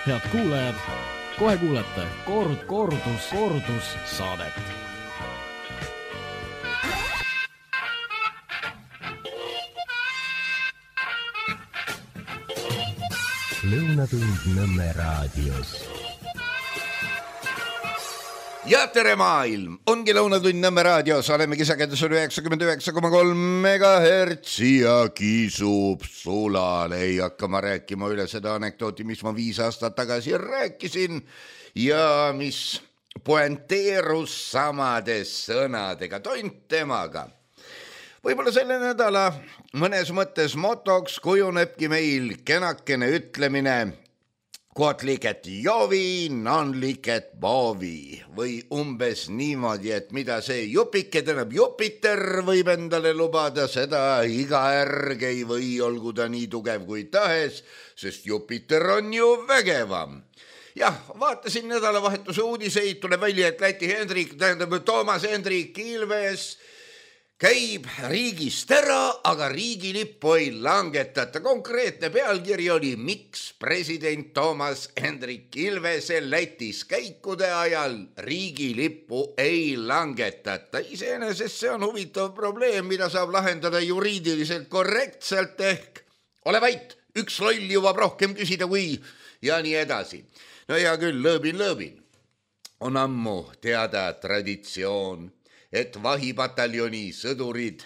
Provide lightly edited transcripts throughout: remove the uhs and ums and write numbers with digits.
Head kuulajad, kohe kuulete kordus saadet. Lõunatund Nõmme raadios. Ja tere maailm, ongi Lõunatund Nõmme raadios, olemegi sagedusel 99,3 MHz ja kisub sulale. Ei hakka ma rääkima üle seda anekdooti, mis ma 5 aastat tagasi rääkisin ja mis poenteerus samade sõnadega, tont temaga. Võib-olla selle nädala mõnes mõttes motoks kujunebki meil kenakene ütlemine quod licet Jovi, non licet Bovi või umbes niimoodi, et mida see jupike, tähendab Jupiter võib endale lubada, seda iga ärg ei või, olgu ta nii tugev kui tahes, sest Jupiter on ju vägevam. Jah, vaatasin nädalavahetuse uudiseid, tuleb välja, et Läti Hendrik, tähendab Toomas Hendrik Ilves käib riigist ära, aga riigilippu ei langetata. Konkreetne pealkiri oli, miks president Toomas Hendrik Ilvese Lätis käikude ajal riigilippu ei langetata. Iseenesest see on huvitav probleem, mida saab lahendada juriidiliselt korrektselt ehk ole vait, üks loll jõuab rohkem küsida kui ja nii edasi. No hea küll, lõõbin. On ammu teada traditsioon, et vahipataljoni sõdurid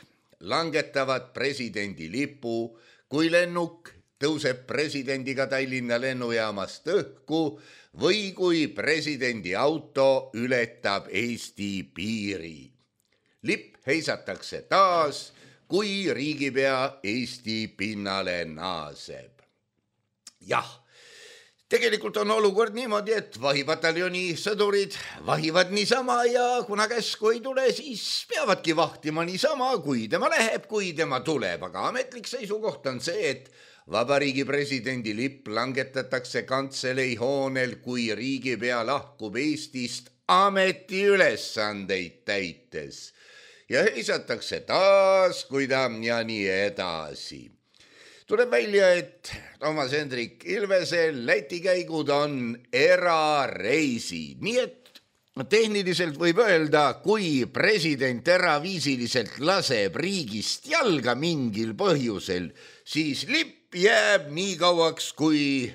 langetavad presidendi lipu, kui lennuk tõuseb presidendiga Tallinna lennujaamast õhku või kui presidendi auto ületab Eesti piiri. Lipp heisatakse taas, kui riigipea Eesti pinnale naaseb. Jah. Tegelikult on olukord niimoodi, et vahipataljoni sõdurid vahivad niisama ja kuna käsku ei tule, siis peavadki vahtima niisama, kui tema läheb, kui tema tuleb. Aga ametlik seisukoht on see, et vabariigi presidendi lipp langetatakse kantselei hoonel, kui riigipea lahkub Eestist ametiülesandeid täites. Ja heisatakse taas, kui ta ja nii edasi. Tuleb välja, et Toomas Hendrik Ilvese Läti käigud on erareisid. Nii et tehniliselt võib öelda, kui president eraviisiliselt laseb riigist jalga mingil põhjusel, siis lipp jääb nii kauaks, kui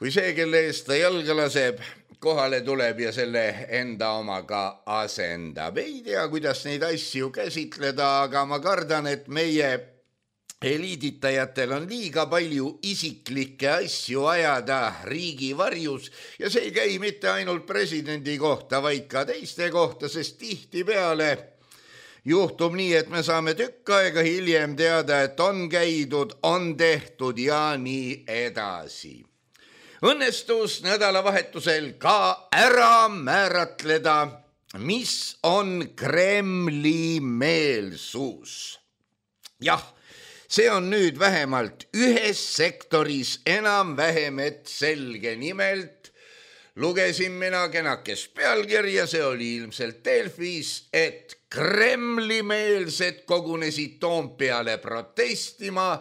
see, kelle eest ta jalga laseb, kohale tuleb ja selle enda omaga asendab. Ei tea, kuidas neid asju käsitleda, aga ma kardan, et meie eliiditajatel on liiga palju isiklikke asju ajada riigi varjus ja see ei käi mitte ainult presidendi kohta, vaid ka teiste kohta, sest tihtipeale juhtub nii, et me saame tükk aega hiljem teada, et on käidud, on tehtud ja nii edasi. Õnnestus nädalavahetusel ka ära määratleda, mis on Kremli meelsus. Jah, see on nüüd vähemalt ühes sektoris enam-vähem et selge. Nimelt lugesin mina kenakes pealkirja, see oli ilmselt Delfis, et Kremli-meelsed kogunesid Toompeale protestima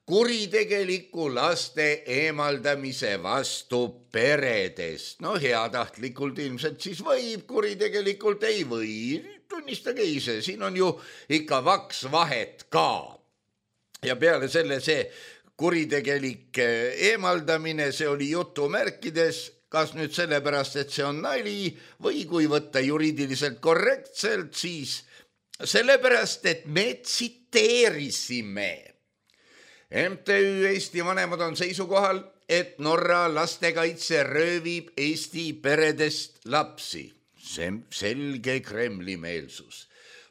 kuritegeliku laste eemaldamise vastu peredest. No heatahtlikult ilmselt siis võib, kuritegelikult ei või. Tunnistage ise, siin on ju ikka vaks vahet ka. Ja peale selle see kuritegelik eemaldamine, see oli jutumärkides, kas nüüd sellepärast, et see on nali või kui võtta juriidiliselt korrektselt, siis sellepärast, et me tsiteerisime. MTÜ Eesti vanemad on seisukohal, et Norra lastekaitse röövib Eesti peredest lapsi. See selge Kremli meelsus.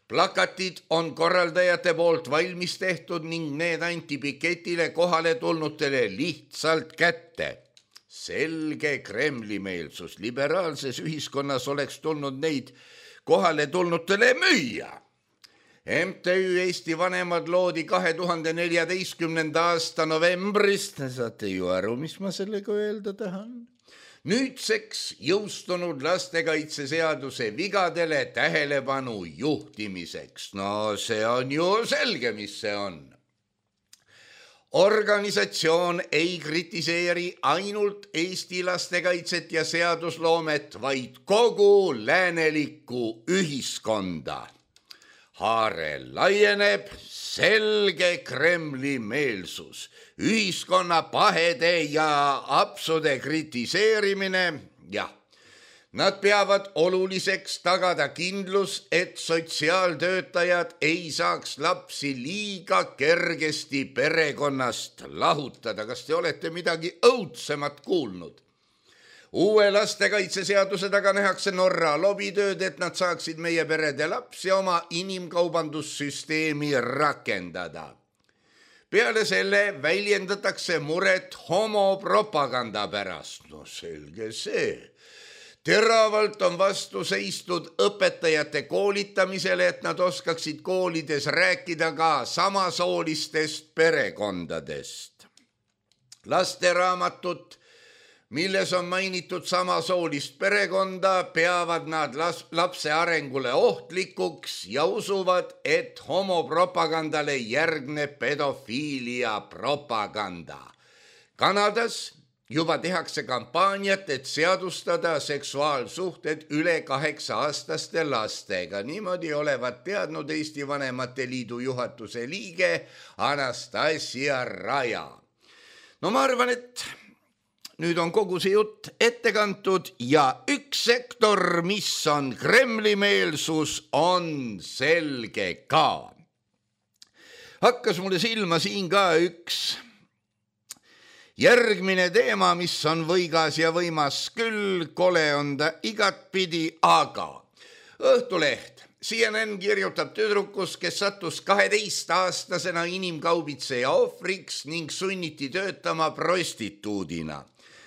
Plakatid on korraldajate poolt valmis tehtud ning need anti piketile kohale tulnutele lihtsalt kätte. Selge Kremli meelsus. Liberaalses ühiskonnas oleks tulnud neid kohale tulnutele müüa. MTÜ Eesti vanemad loodi 2014. aasta novembrist. Saate ju aru, mis ma sellega öelda tahan? Nüüdseks jõustunud lastekaitseseaduse vigadele tähelepanu juhtimiseks. No see on ju selge, mis see on. organisatsioon ei kritiseeri ainult Eesti lastekaitset ja seadusloomet, vaid kogu läänelikku ühiskonda. Haare laieneb selge Kremli meelsus, ühiskonna pahede ja apsude kritiseerimine, jah. Nad peavad oluliseks tagada kindlus, et sotsiaaltöötajad ei saaks lapsi liiga kergesti perekonnast lahutada. Kas te olete midagi õudsemat kuulnud? Uue lastekaitseseaduse taga nähakse Norra lobitööd, et nad saaksid meie perede lapsi oma inimkaubandussüsteemi rakendada. Peale selle väljendatakse muret homopropaganda pärast. No selge see. Teravalt on vastu seistud õpetajate koolitamisele, et nad oskaksid koolides rääkida ka samasoolistest perekondadest. Lasteraamatut, milles on mainitud samasoolist perekonda, peavad nad lapse arengule ohtlikuks ja usuvad, et homopropagandale järgneb pedofiilia propaganda. Kanadas juba tehakse kampaaniat, et seadustada seksuaalsuhted üle 8-aastaste lastega. Niimoodi olevat teadnud Eesti Vanemate Liidu juhatuse liige Anastasia Raja. No ma arvan, et nüüd on kogu see jutt ette kantud ja üks sektor, mis on Kremli-meelsus, on selge ka. Hakkas mulle silma siin ka üks järgmine teema, mis on võigas ja võimas küll, kole on ta igatpidi, aga Õhtuleht. CNN kirjutab tüdrukus, kes sattus 12-aastasena inimkaubitseja ohvriks ning sunniti töötama prostituudina.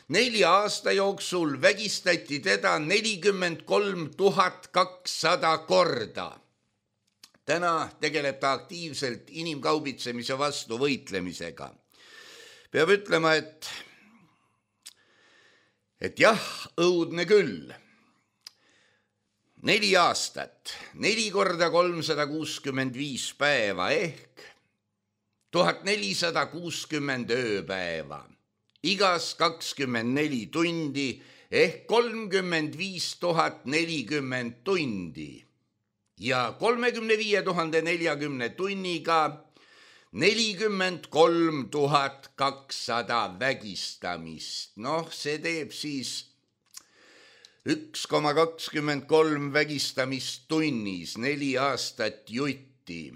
4 aasta jooksul vägistati teda 43 200 korda. Täna tegeleb ta aktiivselt inimkaubitsemise vastu võitlemisega. Peab ütlema, et jah, õudne küll. 4 aastat, 4 korda 365 päeva ehk 1460 ööpäeva. Igas 24 tundi ehk 35 040 tundi ja 35 040 tunniga 43 200 vägistamist. Noh, see teeb siis 1,23 vägistamist tunnis, 4 aastat jutti,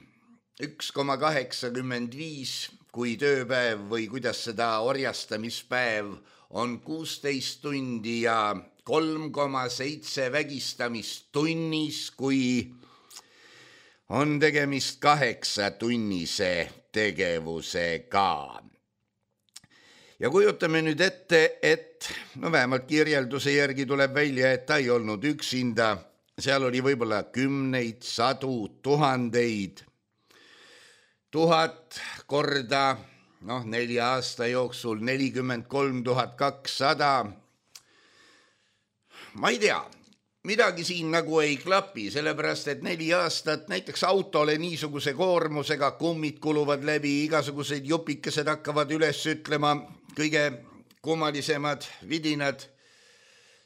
1,85 kui tööpäev või kuidas seda orjastamispäev on 16 tundi ja 3,7 vägistamist tunnis, kui on tegemist 8-tunnise tegevusega. Ja kujutame nüüd ette, et vähemalt kirjelduse järgi tuleb välja, et ta ei olnud üksinda. Seal oli võib-olla kümneid, sadu, tuhandeid. 1000 korda, 4 aasta jooksul 43 200. Ma ei tea. Midagi siin nagu ei klapi, sellepärast et 4 aastat näiteks autole niisuguse koormusega kummid kuluvad läbi, igasugused jupikesed hakkavad üles ütlema, kõige kummalisemad vidinad.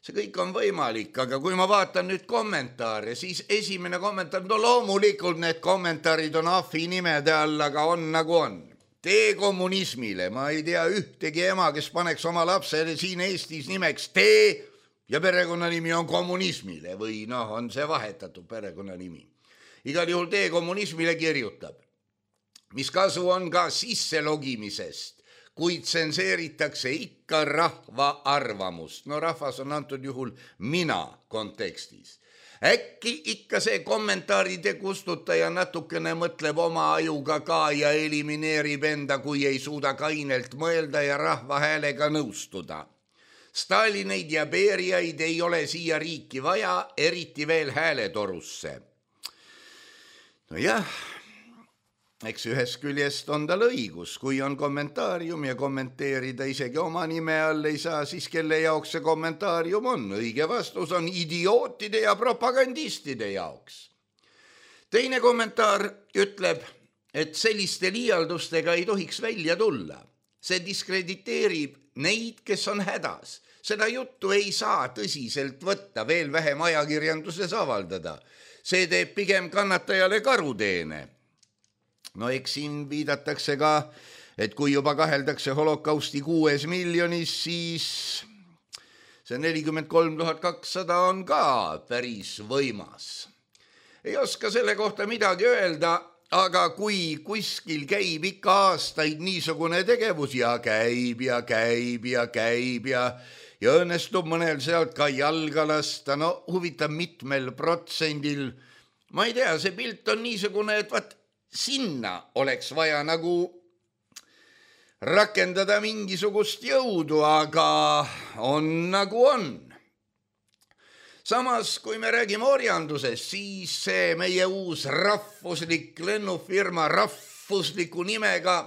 See kõik on võimalik, aga kui ma vaatan nüüd kommentaare, siis esimene kommentaar, loomulikult need kommentaarid on ahvi nimede all, aga on nagu on. Tee kommunismile, ma ei tea ühtegi ema, kes paneks oma lapsele siin Eestis nimeks tee, ja perekonnanimi on kommunismile või on see vahetatud perekonnanimi. Igal juhul tee kommunismile kirjutab. Mis kasu on ka sisselogimisest, kuid tsenseeritakse ikka rahva arvamust. Rahvas on antud juhul mina kontekstis. Äkki ikka see kommentaaride kustutaja natukene mõtleb oma ajuga ka ja elimineerib enda, kui ei suuda kainelt mõelda ja rahva häälega nõustuda. Stalineid ja Beriaid ei ole siia riiki vaja, eriti veel hääletorusse. Jah, eks ühest küljest on tal õigus, kui on kommentaarium ja kommenteerida isegi oma nime all ei saa, siis kelle jaoks see kommentaarium on. Õige vastus on idiootide ja propagandistide jaoks. Teine kommentaar ütleb, et selliste liialdustega ei tohiks välja tulla. See diskrediteerib neid, kes on hädas. Seda juttu ei saa tõsiselt võtta, veel vähem ajakirjanduses avaldada. See teeb pigem kannatajale karuteene. No eks siin viidatakse ka, et kui juba kaheldakse holokausti 6 miljonis, siis see 43 200 on ka päris võimas. Ei oska selle kohta midagi öelda, aga kui kuskil käib ikka aastaid niisugune tegevus ja käib ja õnnestub mõnel sealt ka jalga lasta, no huvitav mitmel protsendil. Ma ei tea, see pilt on niisugune, et vaat sinna oleks vaja nagu rakendada mingisugust jõudu, aga on nagu on. Samas, kui me räägime orjandusest, siis see meie uus rahvuslik lennufirma rahvusliku nimega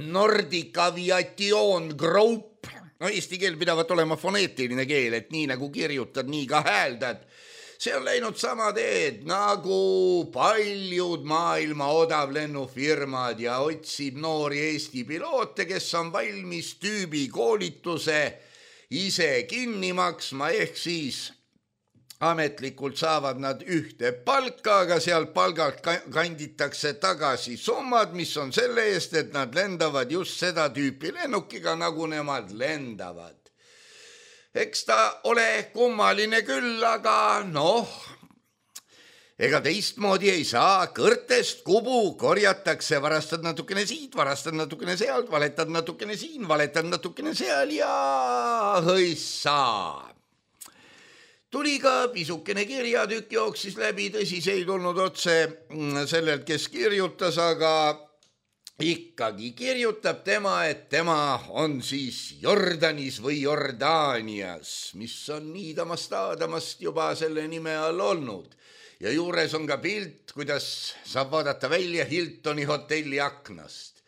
Nordic Aviation Group, no eesti keel pidavat olema foneetiline keel, et nii nagu kirjutad, nii ka hääldad. See on läinud sama teed nagu paljud maailma odavlennufirmad ja otsib noori Eesti piloote, kes on valmis tüübi koolituse ise kinni maksma, ehk siis ametlikult saavad nad ühte palka, aga sealt palgalt kanditakse tagasi summad, mis on selle eest, et nad lendavad just seda tüüpi lennukiga, nagu nemad lendavad. Eks ta ole kummaline küll, aga ega teistmoodi ei saa. Kõrtest kubu korjatakse, varastad natukene siit, varastad natukene sealt, valetad natukene siin, valetad natukene seal ja hõissa. Tuli ka pisukene kirjatükk, jooksis läbi, tõsi, see ei tulnud otse sellelt, kes kirjutas, aga ikkagi kirjutab tema, et tema on siis Jordanis või Jordaanias, mis on niidamast juba selle nime all olnud. Ja juures on ka pilt, kuidas saab vaadata välja Hiltoni hotelli aknast.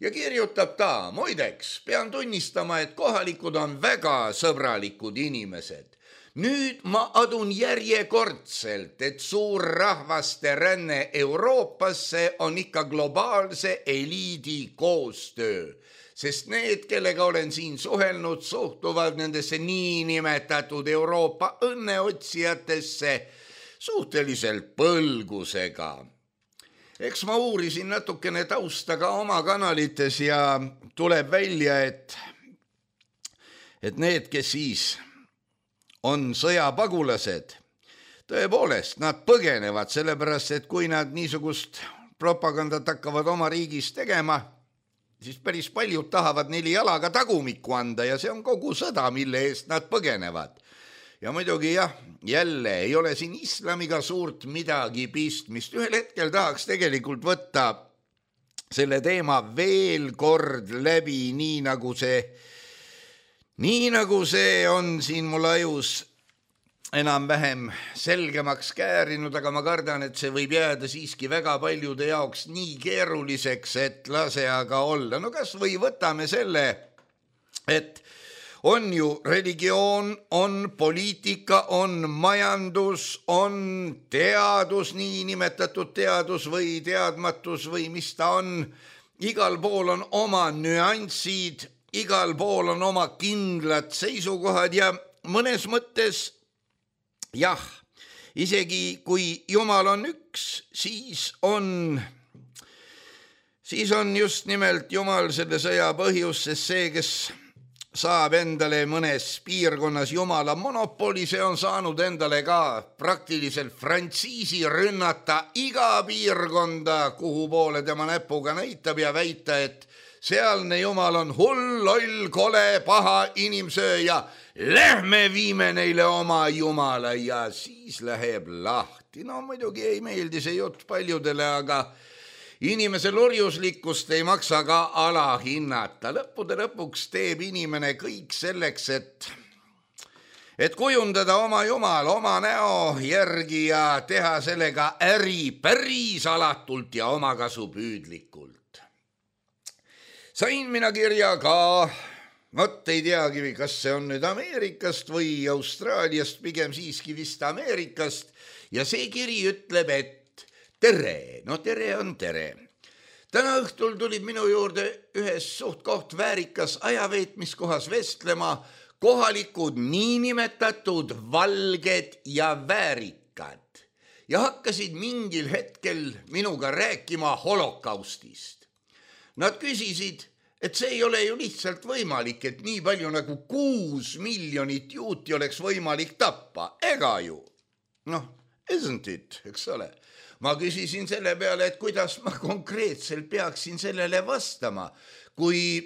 Ja kirjutab ta, muideks, pean tunnistama, et kohalikud on väga sõbralikud inimesed. Nüüd ma adun järjekordselt, et suur rahvaste ränne Euroopasse on ikka globaalse eliidi koostöö, sest need, kellega olen siin suhelnud, suhtuvad nendesse niinimetatud Euroopa õnneotsijatesse suhteliselt põlgusega. Eks ma uurisin natukene tausta ka oma kanalites ja tuleb välja, et need, kes siis on sõjapagulased, tõepoolest, nad põgenevad, sellepärast, et kui nad niisugust propagandat hakkavad oma riigis tegema, siis päris paljud tahavad neile jalaga tagumikku anda ja see on kogu sõda, mille eest nad põgenevad. Ja muidugi jälle ei ole siin islamiga suurt midagi pistmist. Ühel hetkel tahaks tegelikult võtta selle teema veel kord läbi, nii nagu see on siin mul ajus enam-vähem selgemaks käärinud, aga ma kardan, et see võib jääda siiski väga paljude jaoks nii keeruliseks, et lase aga olla. No kas või võtame selle, et on ju religioon, on poliitika, on majandus, on teadus, niinimetatud teadus või teadmatus või mis ta on. Igal pool on oma nüansid, igal pool on oma kindlad seisukohad ja mõnes mõttes isegi kui Jumal on üks, siis on just nimelt Jumal selle sõja põhjus, sest see, kes saab endale mõnes piirkonnas Jumala monopoli, see on saanud endale ka praktiliselt frantsiisi rünnata iga piirkonda, kuhu poole tema näpuga näitab ja väita, et sealne Jumal on hull, loll, kole, paha inimsööja. Lähme viime neile oma Jumala ja siis läheb lahti. No muidugi ei meeldi see jutt paljudele, aga inimese lurjuslikkust ei maksa ka alahinnata. Lõppude lõpuks teeb inimene kõik selleks, et kujundada oma Jumal oma näo järgi ja teha sellega äri päris alatult ja omakasupüüdlikult. Sain mina kirja ka, ei teagi, kas see on nüüd Ameerikast või Austraaliast, pigem siiski vist Ameerikast, ja see kiri ütleb, et tere, no tere on tere. Täna õhtul tulid minu juurde ühes suht koht väärikas ajaveetmiskohas vestlema kohalikud niinimetatud valged ja väärikad ja hakkasid mingil hetkel minuga rääkima holokaustist. Nad küsisid, et see ei ole ju lihtsalt võimalik, et nii palju nagu 6 miljonit juuti oleks võimalik tappa, ega ju? Isn't it, eks ole? Ma küsisin selle peale, et kuidas ma konkreetselt peaksin sellele vastama, kui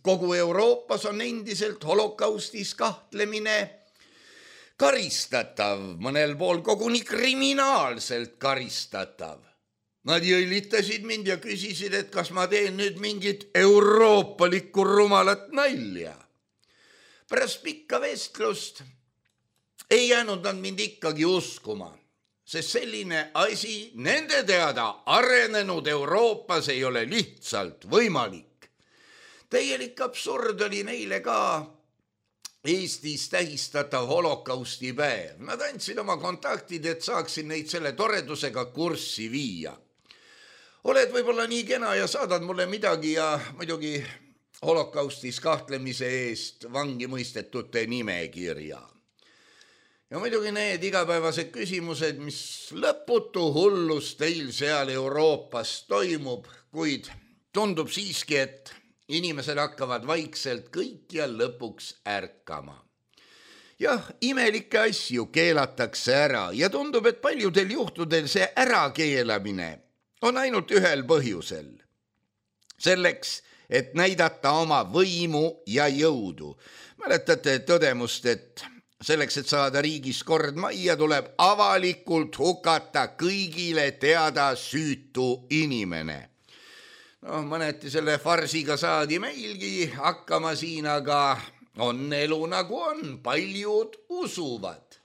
kogu Euroopas on endiselt holokaustis kahtlemine karistatav, mõnel pool koguni kriminaalselt karistatav. Nad jõllitasid mind ja küsisid, et kas ma teen nüüd mingit euroopalikku rumalat nalja. Pärast pikka vestlust ei jäänud nad mind ikkagi uskuma. Sest selline asi nende teada arenenud Euroopas ei ole lihtsalt võimalik. Täielik absurd oli neile ka Eestis tähistatav holokaustipäev. Nad andsid oma kontaktid, et saaksin neid selle toredusega kurssi viia. Oled võib-olla nii kena ja saadad mulle midagi ja muidugi holokaustis kahtlemise eest vangi mõistetute nimekirja. Ja muidugi need igapäevased küsimused, mis lõputu hullus teil seal Euroopas toimub, kuid tundub siiski, et inimesed hakkavad vaikselt kõik ja lõpuks ärkama. Jah, imelikke asju keelatakse ära ja tundub, et paljudel juhtudel see ärakeelamine on ainult ühel põhjusel. Selleks, et näidata oma võimu ja jõudu. Mäletate tõdemust, et selleks, et saada riigis kord majja, tuleb avalikult hukata kõigile teada süütu inimene. Mõneti selle farsiga saadi meilgi hakkama siin, aga on elu nagu on, paljud usuvad.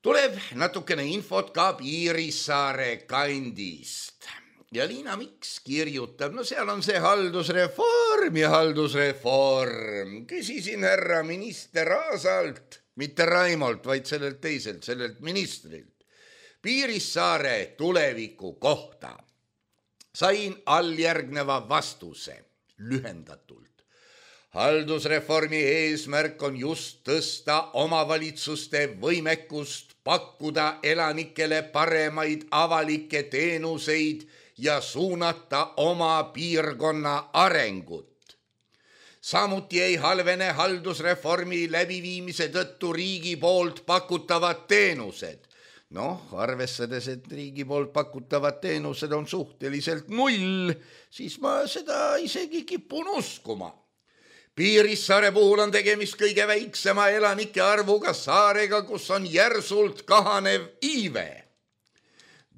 Tuleb natukene infot ka Piirissaare kandist. Ja Liina Miks kirjutab, seal on see haldusreform ja haldusreform. Küsisin härra minister Aasalt, mitte Raimolt, vaid sellelt teiselt, sellelt ministrilt, Piirissaare tuleviku kohta. Sain alljärgneva vastuse, lühendatult. Haldusreformi eesmärk on just tõsta omavalitsuste võimekust pakkuda elanikele paremaid avalikke teenuseid ja suunata oma piirkonna arengut. Samuti ei halvene haldusreformi läbiviimise tõttu riigi poolt pakutavad teenused. Arvestades, et riigi poolt pakutavad teenused on suhteliselt 0, siis ma seda isegi kipun uskuma. Piirissaare puhul on tegemist kõige väiksema elanike arvuga saarega, kus on järsult kahanev iive.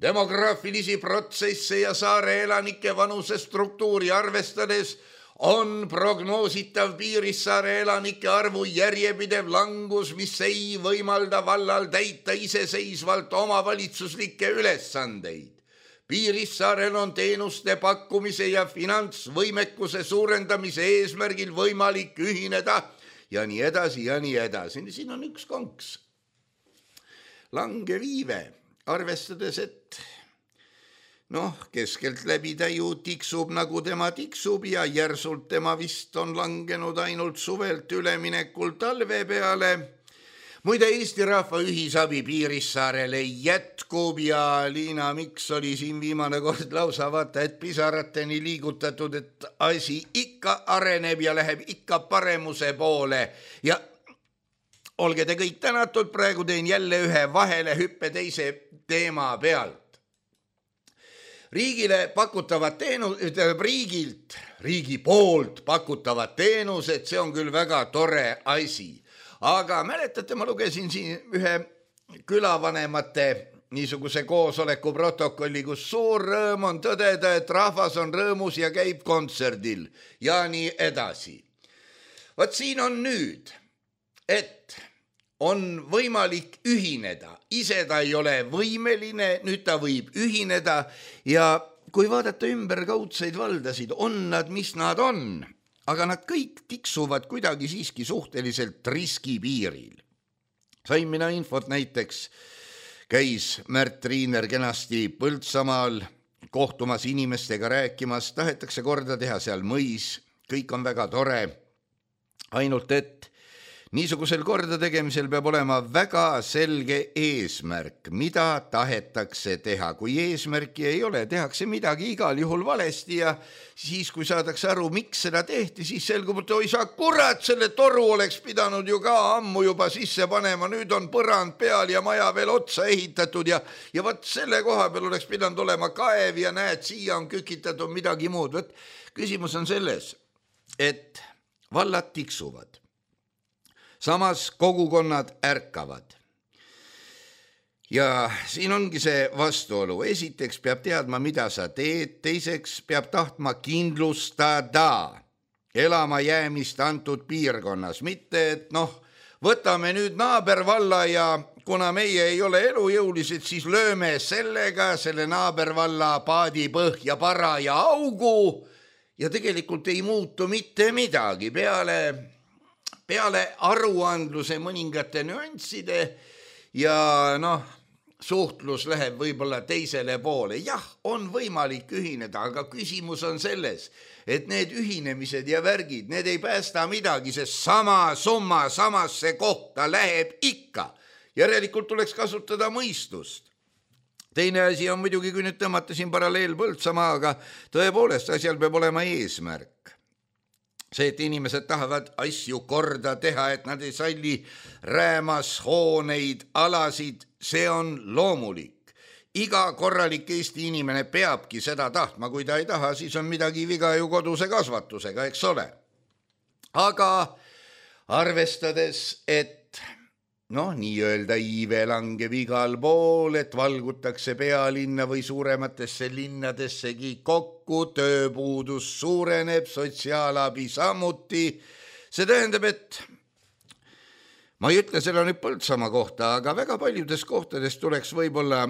Demograafilisi protsesse ja saare elanike vanuse struktuuri arvestades on prognoositav Piirissaare elanike arvu järjepidev langus, mis ei võimalda vallal täita iseseisvalt omavalitsuslikke ülesandeid. Piirissaarel on teenuste pakkumise ja finantsvõimekuse suurendamise eesmärgil võimalik ühineda ja nii edasi ja nii edasi. Siin on üks konks. Langev iive. Arvestades, et keskelt läbi täiu tiksub nagu tema tiksub ja järsult tema vist on langenud ainult suvelt üleminekul talve peale. Muide, Eesti rahva ühisabi Piirissaarele jätkub ja Liina Miks oli siin viimane kord lausa vaata, et pisarateni liigutatud, et asi ikka areneb ja läheb ikka paremuse poole ja olge te kõik tänatud, praegu teen jälle ühe vahelehüppe teise teema pealt. Riigi poolt pakutavad teenused, see on küll väga tore asi. Aga mäletate, ma lugesin siin ühe külavanemate niisuguse koosoleku protokolli, kus suur rõõm on tõdeda, et rahvas on rõõmus ja käib kontserdil ja nii edasi. Vaat siin on nüüd, et on võimalik ühineda. Ise ta ei ole võimeline, nüüd ta võib ühineda ja kui vaadata ümberkaudseid valdasid, on nad, mis nad on, aga nad kõik tiksuvad kuidagi siiski suhteliselt riskipiiril. Sain mina infot näiteks, käis Märt Riiner kenasti Põltsamaal kohtumas inimestega rääkimas, tahetakse korda teha seal mõis, kõik on väga tore, ainult et niisugusel korda tegemisel peab olema väga selge eesmärk, mida tahetakse teha. Kui eesmärki ei ole, tehakse midagi igal juhul valesti ja siis, kui saadakse aru, miks seda tehti, siis selgub, et oi sa kurat, selle toru oleks pidanud ju ka ammu juba sisse panema, nüüd on põrand peal ja maja veel otsa ehitatud ja võt selle koha peal oleks pidanud olema kaev ja näed, siia on kükitatud midagi muud. Võt, küsimus on selles, et vallad tiksuvad. Samas kogukonnad ärkavad. Ja siin ongi see vastuolu. Esiteks peab teadma, mida sa teed, teiseks peab tahtma kindlustada elama jäämist antud piirkonnas. Mitte, et võtame nüüd naabervalla ja kuna meie ei ole elujõulised, siis lööme sellega selle naabervalla paadi põhja para ja augu ja tegelikult ei muutu mitte midagi peale aruandluse mõningate nüansside ja suhtlus läheb võib-olla teisele poole. Jah, on võimalik ühineda, aga küsimus on selles, et need ühinemised ja värgid, need ei päästa midagi, sest sama summa samasse kohta läheb ikka. Järelikult tuleks kasutada mõistust. Teine asi on muidugi, kui nüüd tõmmata siin paralleel Põltsamaaga, tõepoolest asjal peab olema eesmärk. See, et inimesed tahavad asju korda teha, et nad ei salli räämas hooneid, alasid, see on loomulik. Iga korralik Eesti inimene peabki seda tahtma, kui ta ei taha, siis on midagi viga ju koduse kasvatusega, eks ole. Aga arvestades, et nii-öelda iive langeb igal pool, et valgutakse pealinna või suurematesse linnadessegi kokku, tööpuudus suureneb, sotsiaalabi samuti. See tähendab, et ma ei ütle seda nüüd Põltsamaa kohta, aga väga paljudes kohtades tuleks võib-olla,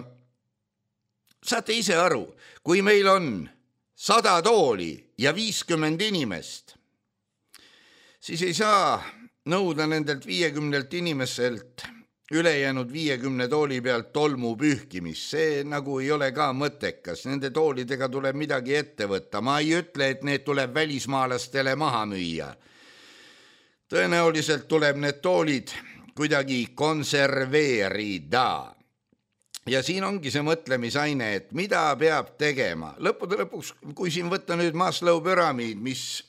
saate ise aru, kui meil on 100 tooli ja 50 inimest, siis ei saa nõuda nendelt 50 inimeselt ülejäänud 50 tooli pealt tolmu pühkimist. See nagu ei ole ka mõttekas. Nende toolidega tuleb midagi ette võtta. Ma ei ütle, et need tuleb välismaalastele maha müüa. Tõenäoliselt tuleb need toolid kuidagi konserveerida. Ja siin ongi see mõtlemisaine, et mida peab tegema. Lõppude lõpuks, kui siin võtta nüüd Maslow püramiid, mis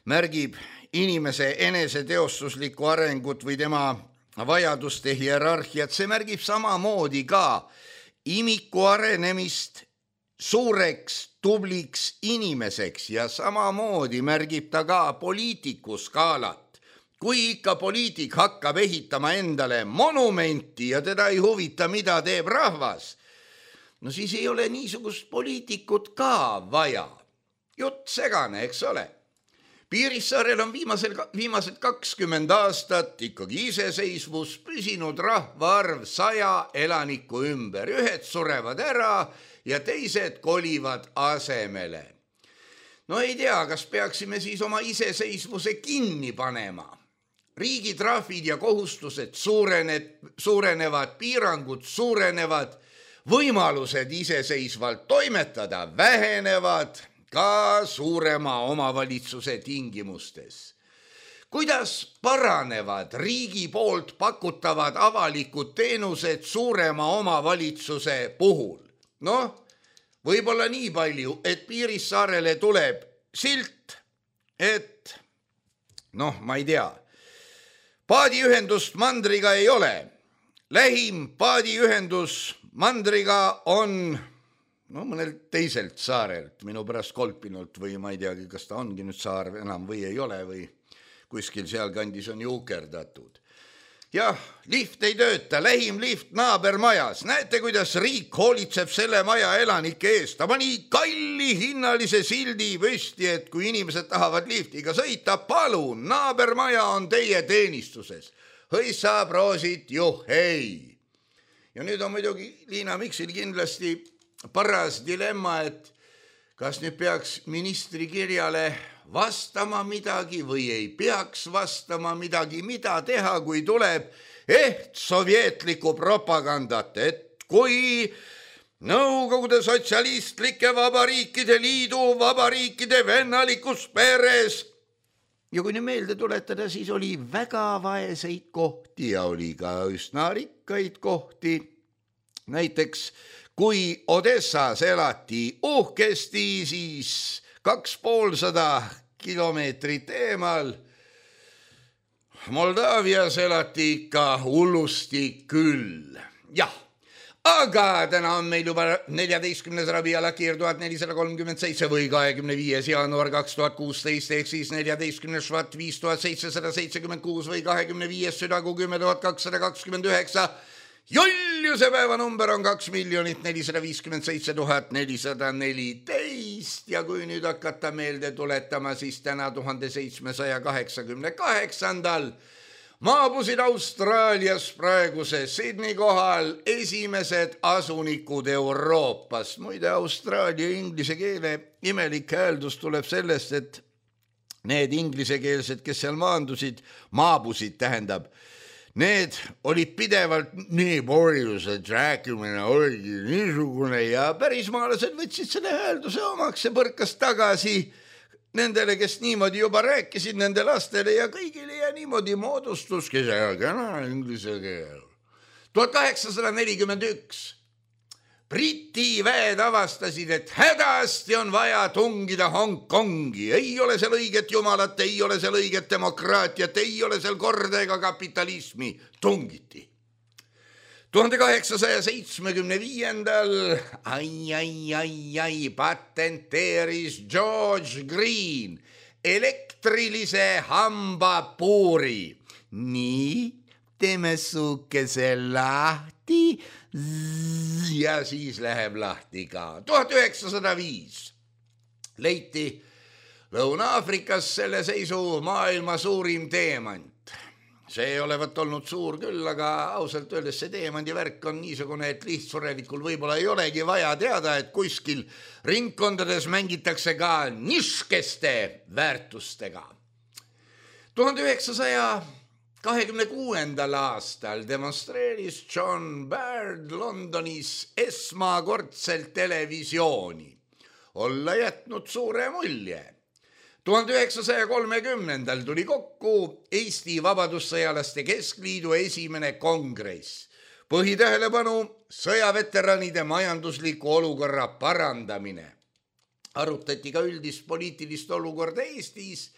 märgib inimese eneseteostuslikku arengut või tema vajaduste hierarhiat, see märgib samamoodi ka imiku arenemist suureks, tubliks inimeseks ja samamoodi märgib ta ka poliitiku skaalat. Kui ikka poliitik hakkab ehitama endale monumenti ja teda ei huvita, mida teeb rahvas, siis ei ole niisugust poliitikut ka vaja. Jutt segane, eks ole. Piirissaarel on viimased 20 aastat ikkagi iseseisvus püsinud rahvaarv 100 elaniku ümber. Ühed surevad ära ja teised kolivad asemele. Ei tea, kas peaksime siis oma iseseisvuse kinni panema. Riigi trahvid ja kohustused suurenevad, piirangud suurenevad, võimalused iseseisvalt toimetada vähenevad ka suurema omavalitsuse tingimustes. Kuidas paranevad riigi poolt pakutavad avalikud teenused suurema omavalitsuse puhul? Võib-olla nii palju, et Piirissaarele tuleb silt, et ma ei tea, paadiühendust mandriga ei ole. Lähim paadiühendus mandriga on mõnel teiselt saarelt, minu pärast Kolpinult või ma ei teagi, kas ta ongi nüüd saar enam või ei ole või kuskil sealkandis on juukerdatud. Jah, lift ei tööta, lähim lift naabermajas. Näete, kuidas riik hoolitseb selle maja elanike eest. Ta pani kalli hinnalise sildi püsti, et kui inimesed tahavad liftiga sõita, palun, naabermaja on teie teenistuses. Hõissa, proosit, juhhei. Ja nüüd on muidugi Liina Miksil kindlasti paras dilemma, et kas nüüd peaks ministri kirjale vastama midagi või ei peaks vastama midagi, mida teha, kui tuleb sovjetlikku propagandat, et kui Nõukogude Sotsialistlike Vabariikide Liidu vabariikide vennalikus peres. Ja kui nii meelde tuletada, siis oli väga vaeseid kohti ja oli ka üsna rikkaid kohti. Näiteks, kui Odessas elati uhkesti, siis 250 kilomeetrit eemal. Moldaavias elati ikka hullusti küll. Jah, aga täna on meil juba 14. Rabi Alakir 1437 või 25. jaanuar 2016 ehk siis 14. Švat 5776 või 25. südagu 10229. Juliuse päevanumber on 2 457 414 ja kui nüüd hakata meelde tuletama, siis täna 1788. Maabusid Austraalias praeguse Sydney kohal esimesed asunikud Euroopast. Muide, austraalia inglise keele imelik hääldus tuleb sellest, et need inglisekeelsed, kes seal maabusid tähendab, need olid pidevalt nii porjused, rääkimine oligi niisugune ja pärismaalased võtsid selle häälduse omaks ja põrkas tagasi nendele, kes niimoodi juba rääkisid, nende lastele ja kõigile ja niimoodi moodustuski see kena inglise keel. 1841 Briti väed avastasid, et hädasti on vaja tungida Hongkongi. Ei ole seal õiget jumalat, ei ole seal õiget demokraatiat, ei ole seal korda ega kapitalismi. Tungiti. 1875. Patenteeris George Green elektrilise hambapuuri. Nii, teeme suukese lahti ja siis läheb lahti ka. 1905 leiti Lõuna-Aafrikas selle seisu maailma suurim teemant. See ei olevat olnud suur küll, aga ausalt öeldes see teemandi värk on niisugune, et lihtsurelikul võib-olla ei olegi vaja teada, et kuskil ringkondades mängitakse ka niškeste väärtustega. 1926. aastal demonstreeris John Baird Londonis esmakordselt televisiooni. Olla jätnud suure mulje. 1930. tuli kokku Eesti Vabadussõjalaste Keskliidu esimene kongress. Põhitähelepanu sõjaveteranide majandusliku olukorra parandamine. Arutati ka üldist poliitilist olukorda Eestis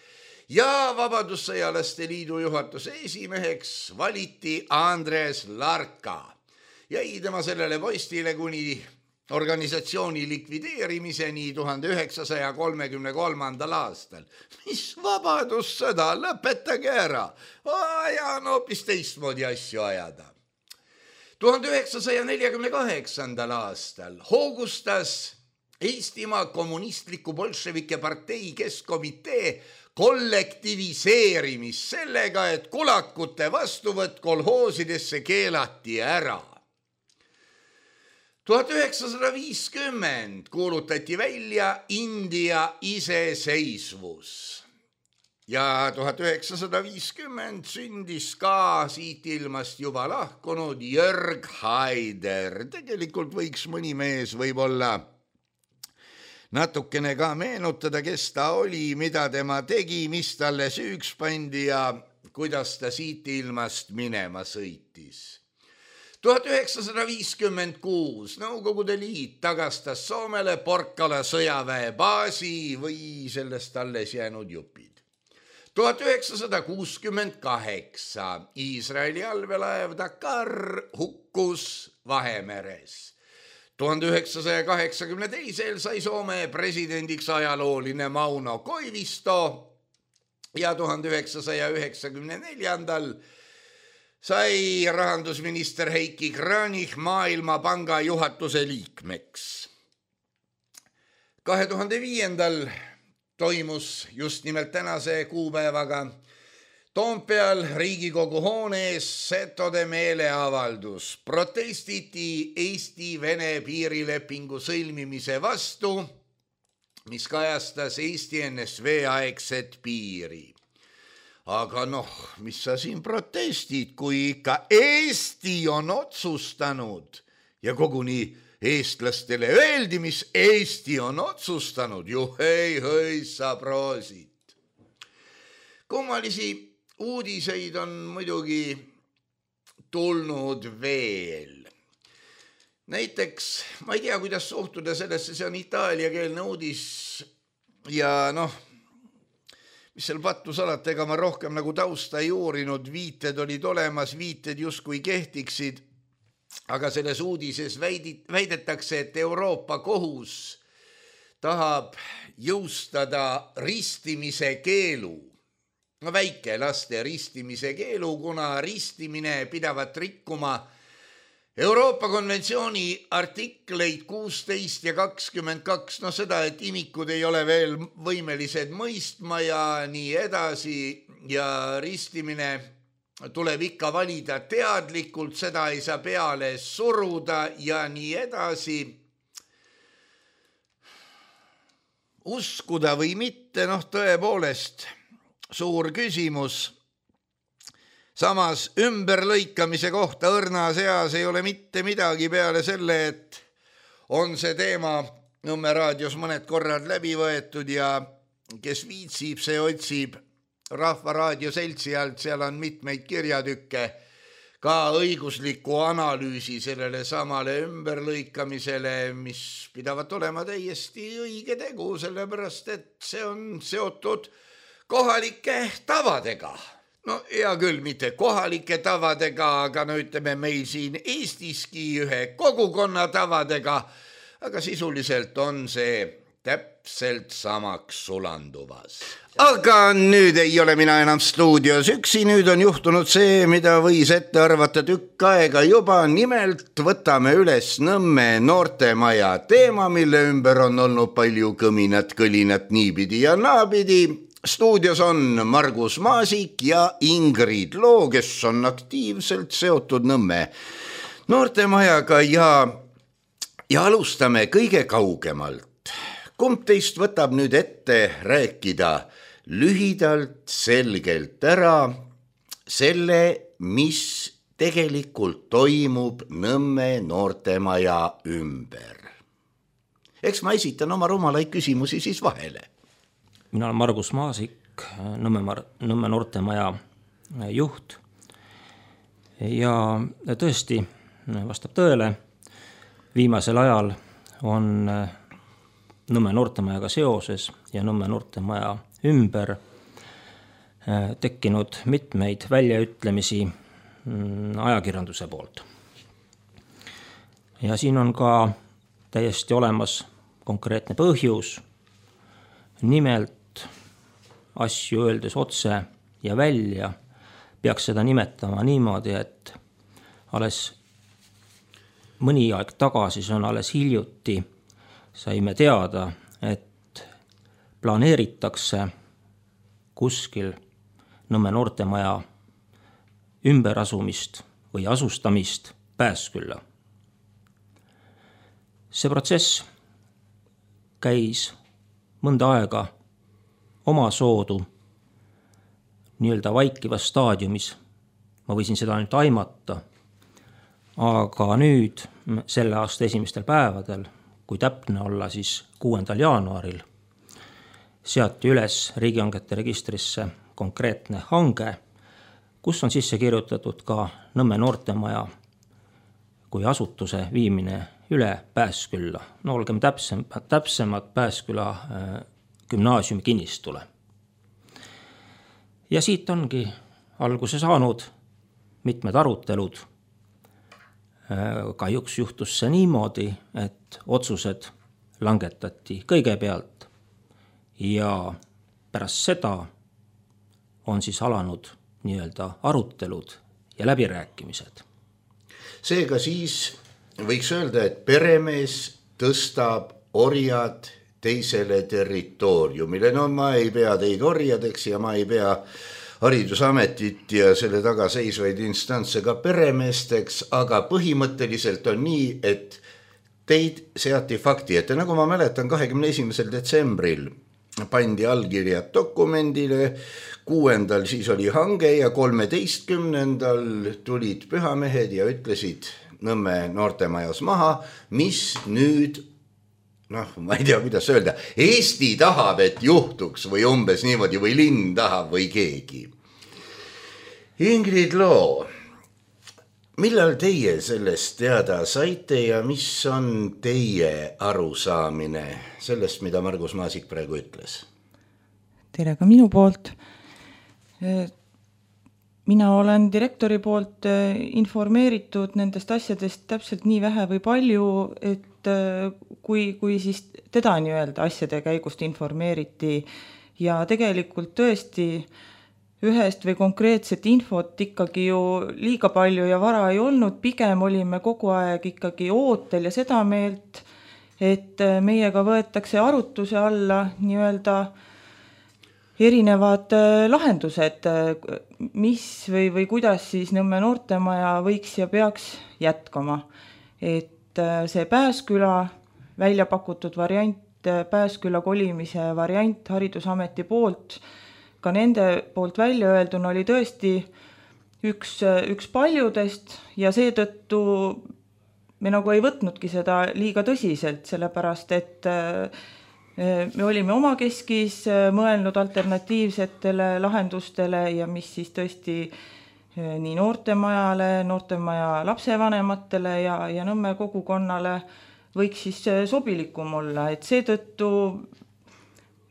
ja Vabadussõjalaste Liidu juhatuse esimeheks valiti Andres Larka. Jäi tema sellele postile kuni organisatsiooni likvideerimiseni 1933. aastal. Mis vabadussõda, lõpetage ära. Ja on hoopis teistmoodi asju ajada. 1948. aastal hoogustas Eestimaa kommunistliku bolševike partei keskkomitee kollektiviseerimist sellega, et kulakute vastuvõtt kolhoosidesse keelati ära. 1950 kuulutati välja India iseseisvus ja 1950 sündis ka siit ilmast juba lahkunud Jörg Haider. Tegelikult võiks mõni mees võib-olla natukene ka meenutada, kes ta oli, mida tema tegi, mis talle süüks pandi ja kuidas ta siit ilmast minema sõitis. 1956 Nõukogude Liit tagastas Soomele Porkala sõjaväebaasi või sellest alles jäänud jupid. 1968 Iisraeli allveelaev Dakar hukkus Vahemeres. 1982 sai Soome presidendiks ajalooline Mauno Koivisto ja 1994 sai rahandusminister Heiki Kranich Maailmapanga juhatuse liikmeks. 2005 toimus just nimelt tänase kuupäevaga Toompeal Riigikogu hoone ees setode meeleavaldus. Protestiti Eesti-Vene piirilepingu sõlmimise vastu, mis kajastas Eesti NSV aegset piiri. Aga mis sa siin protestid, kui ikka Eesti on otsustanud ja koguni eestlastele öeldi, mis Eesti on otsustanud. Juhei, sa proosid. Kummalisi uudiseid on muidugi tulnud veel. Näiteks, ma ei tea, kuidas suhtuda sellesse, see on itaaliakeelne uudis ja mis seal pattus alati, ega ma rohkem nagu tausta ei uurinud, viited olid olemas, viited justkui kehtiksid, aga selles uudises väidetakse, et Euroopa kohus tahab jõustada ristimise keelu. Väikelaste ristimise keelu, kuna ristimine pidavat rikkuma Euroopa konventsiooni artikleid 16 ja 22, seda, et imikud ei ole veel võimelised mõistma ja nii edasi ja ristimine tuleb ikka valida teadlikult, seda ei saa peale suruda ja nii edasi. Uskuda või mitte, tõepoolest suur küsimus. Samas ümberlõikamise kohta õrnas eas ei ole mitte midagi peale selle, et on see teema Nõmme raadios mõned korrad läbi võetud ja kes viitsib, see otsib Rahva Raadio seltsi alt, seal on mitmeid kirjatükke, ka õigusliku analüüsi sellele samale ümberlõikamisele, mis pidavat olema täiesti õige tegu, sellepärast et see on seotud kohalike tavadega. Hea küll, mitte kohalike tavadega, aga ütleme meil siin Eestiski ühe kogukonna tavadega, aga sisuliselt on see täpselt samaks sulanduvas. Aga nüüd ei ole mina enam stuudios üksi, nüüd on juhtunud see, mida võis ette arvata tükk aega juba, nimelt võtame üles Nõmme noortemaja teema, mille ümber on olnud palju kõminat, kõlinat niipidi ja naapidi. Stuudios on Margus Maasik ja Ingrid Loo, kes on aktiivselt seotud Nõmme noortemajaga ja alustame kõige kaugemalt. Kumb teist võtab nüüd ette rääkida lühidalt, selgelt ära selle, mis tegelikult toimub Nõmme noortemaja ümber? Eks ma esitan oma rumalaid küsimusi siis vahele. Mina olen Margus Maasik, Nõmme noortemaja juht ja tõesti vastab tõele, viimasel ajal on Nõmme noortemajaga seoses ja Nõmme noortemaja ümber tekkinud mitmeid väljaütlemisi ajakirjanduse poolt. Ja siin on ka täiesti olemas konkreetne põhjus, nimelt asju öeldes otse ja välja peaks seda nimetama niimoodi, et alles mõni aeg tagasi, see on alles hiljuti, saime teada, et planeeritakse kuskil Nõmme noortemaja ümberasumist või asustamist Pääskülla. See protsess käis mõnda aega oma soodu nii-öelda vaikivas staadiumis. Ma võisin seda ainult aimata, aga nüüd selle aasta esimestel päevadel, kui täpne olla siis 6. jaanuaril, seati üles riigihangete registrisse konkreetne hange, kus on sisse kirjutatud ka Nõmme noortemaja kui asutuse viimine üle Pääskülla. Olgem täpsemad Pääsküla gümnaasiumi kinnistule. Ja siit ongi alguse saanud mitmed arutelud. Kahjuks juhtus see niimoodi, et otsused langetati kõigepealt ja pärast seda on siis alanud nii-öelda arutelud ja läbirääkimised. Seega siis võiks öelda, et peremees tõstab orjad teisele territooriumile. Ma ei pea teid orjadeks ja ma ei pea haridusametit ja selle taga seisvaid instantse ka peremeesteks, aga põhimõtteliselt on nii, et teid seati fakti ette. Nagu ma mäletan, 21. detsembril pandi allkirjad dokumendile, 6. siis oli hange ja 13. tulid pühamehed ja ütlesid Nõmme noortemajas maha, mis nüüd, ma ei tea, kuidas öelda, Eesti tahab, et juhtuks või umbes niimoodi või linn tahab või keegi. Ingrid Loo, millal teie sellest teada saite ja mis on teie arusaamine sellest, mida Margus Maasik praegu ütles? Tere ka minu poolt. Mina olen direktori poolt informeeritud nendest asjadest täpselt nii vähe või palju, et kui siis teda nii-öelda asjade käigust informeeriti ja tegelikult tõesti ühest või konkreetset infot ikkagi ju liiga palju ja vara ei olnud, pigem olime kogu aeg ikkagi ootel ja seda meelt, et meiega võetakse arutuse alla nii-öelda erinevad lahendused, mis või kuidas siis Nõmme noortemaja võiks ja peaks jätkama. Et see Pääsküla välja pakutud variant, Pääsküla kolimise variant Haridusameti poolt, ka nende poolt välja öelduna oli tõesti üks paljudest ja seetõttu me nagu ei võtnudki seda liiga tõsiselt, sellepärast et me olime omakeskis mõelnud alternatiivsetele lahendustele ja mis siis tõesti nii noortemajale, noortemaja lapsevanematele ja Nõmme kogukonnale võiks siis sobilikum olla, et seetõttu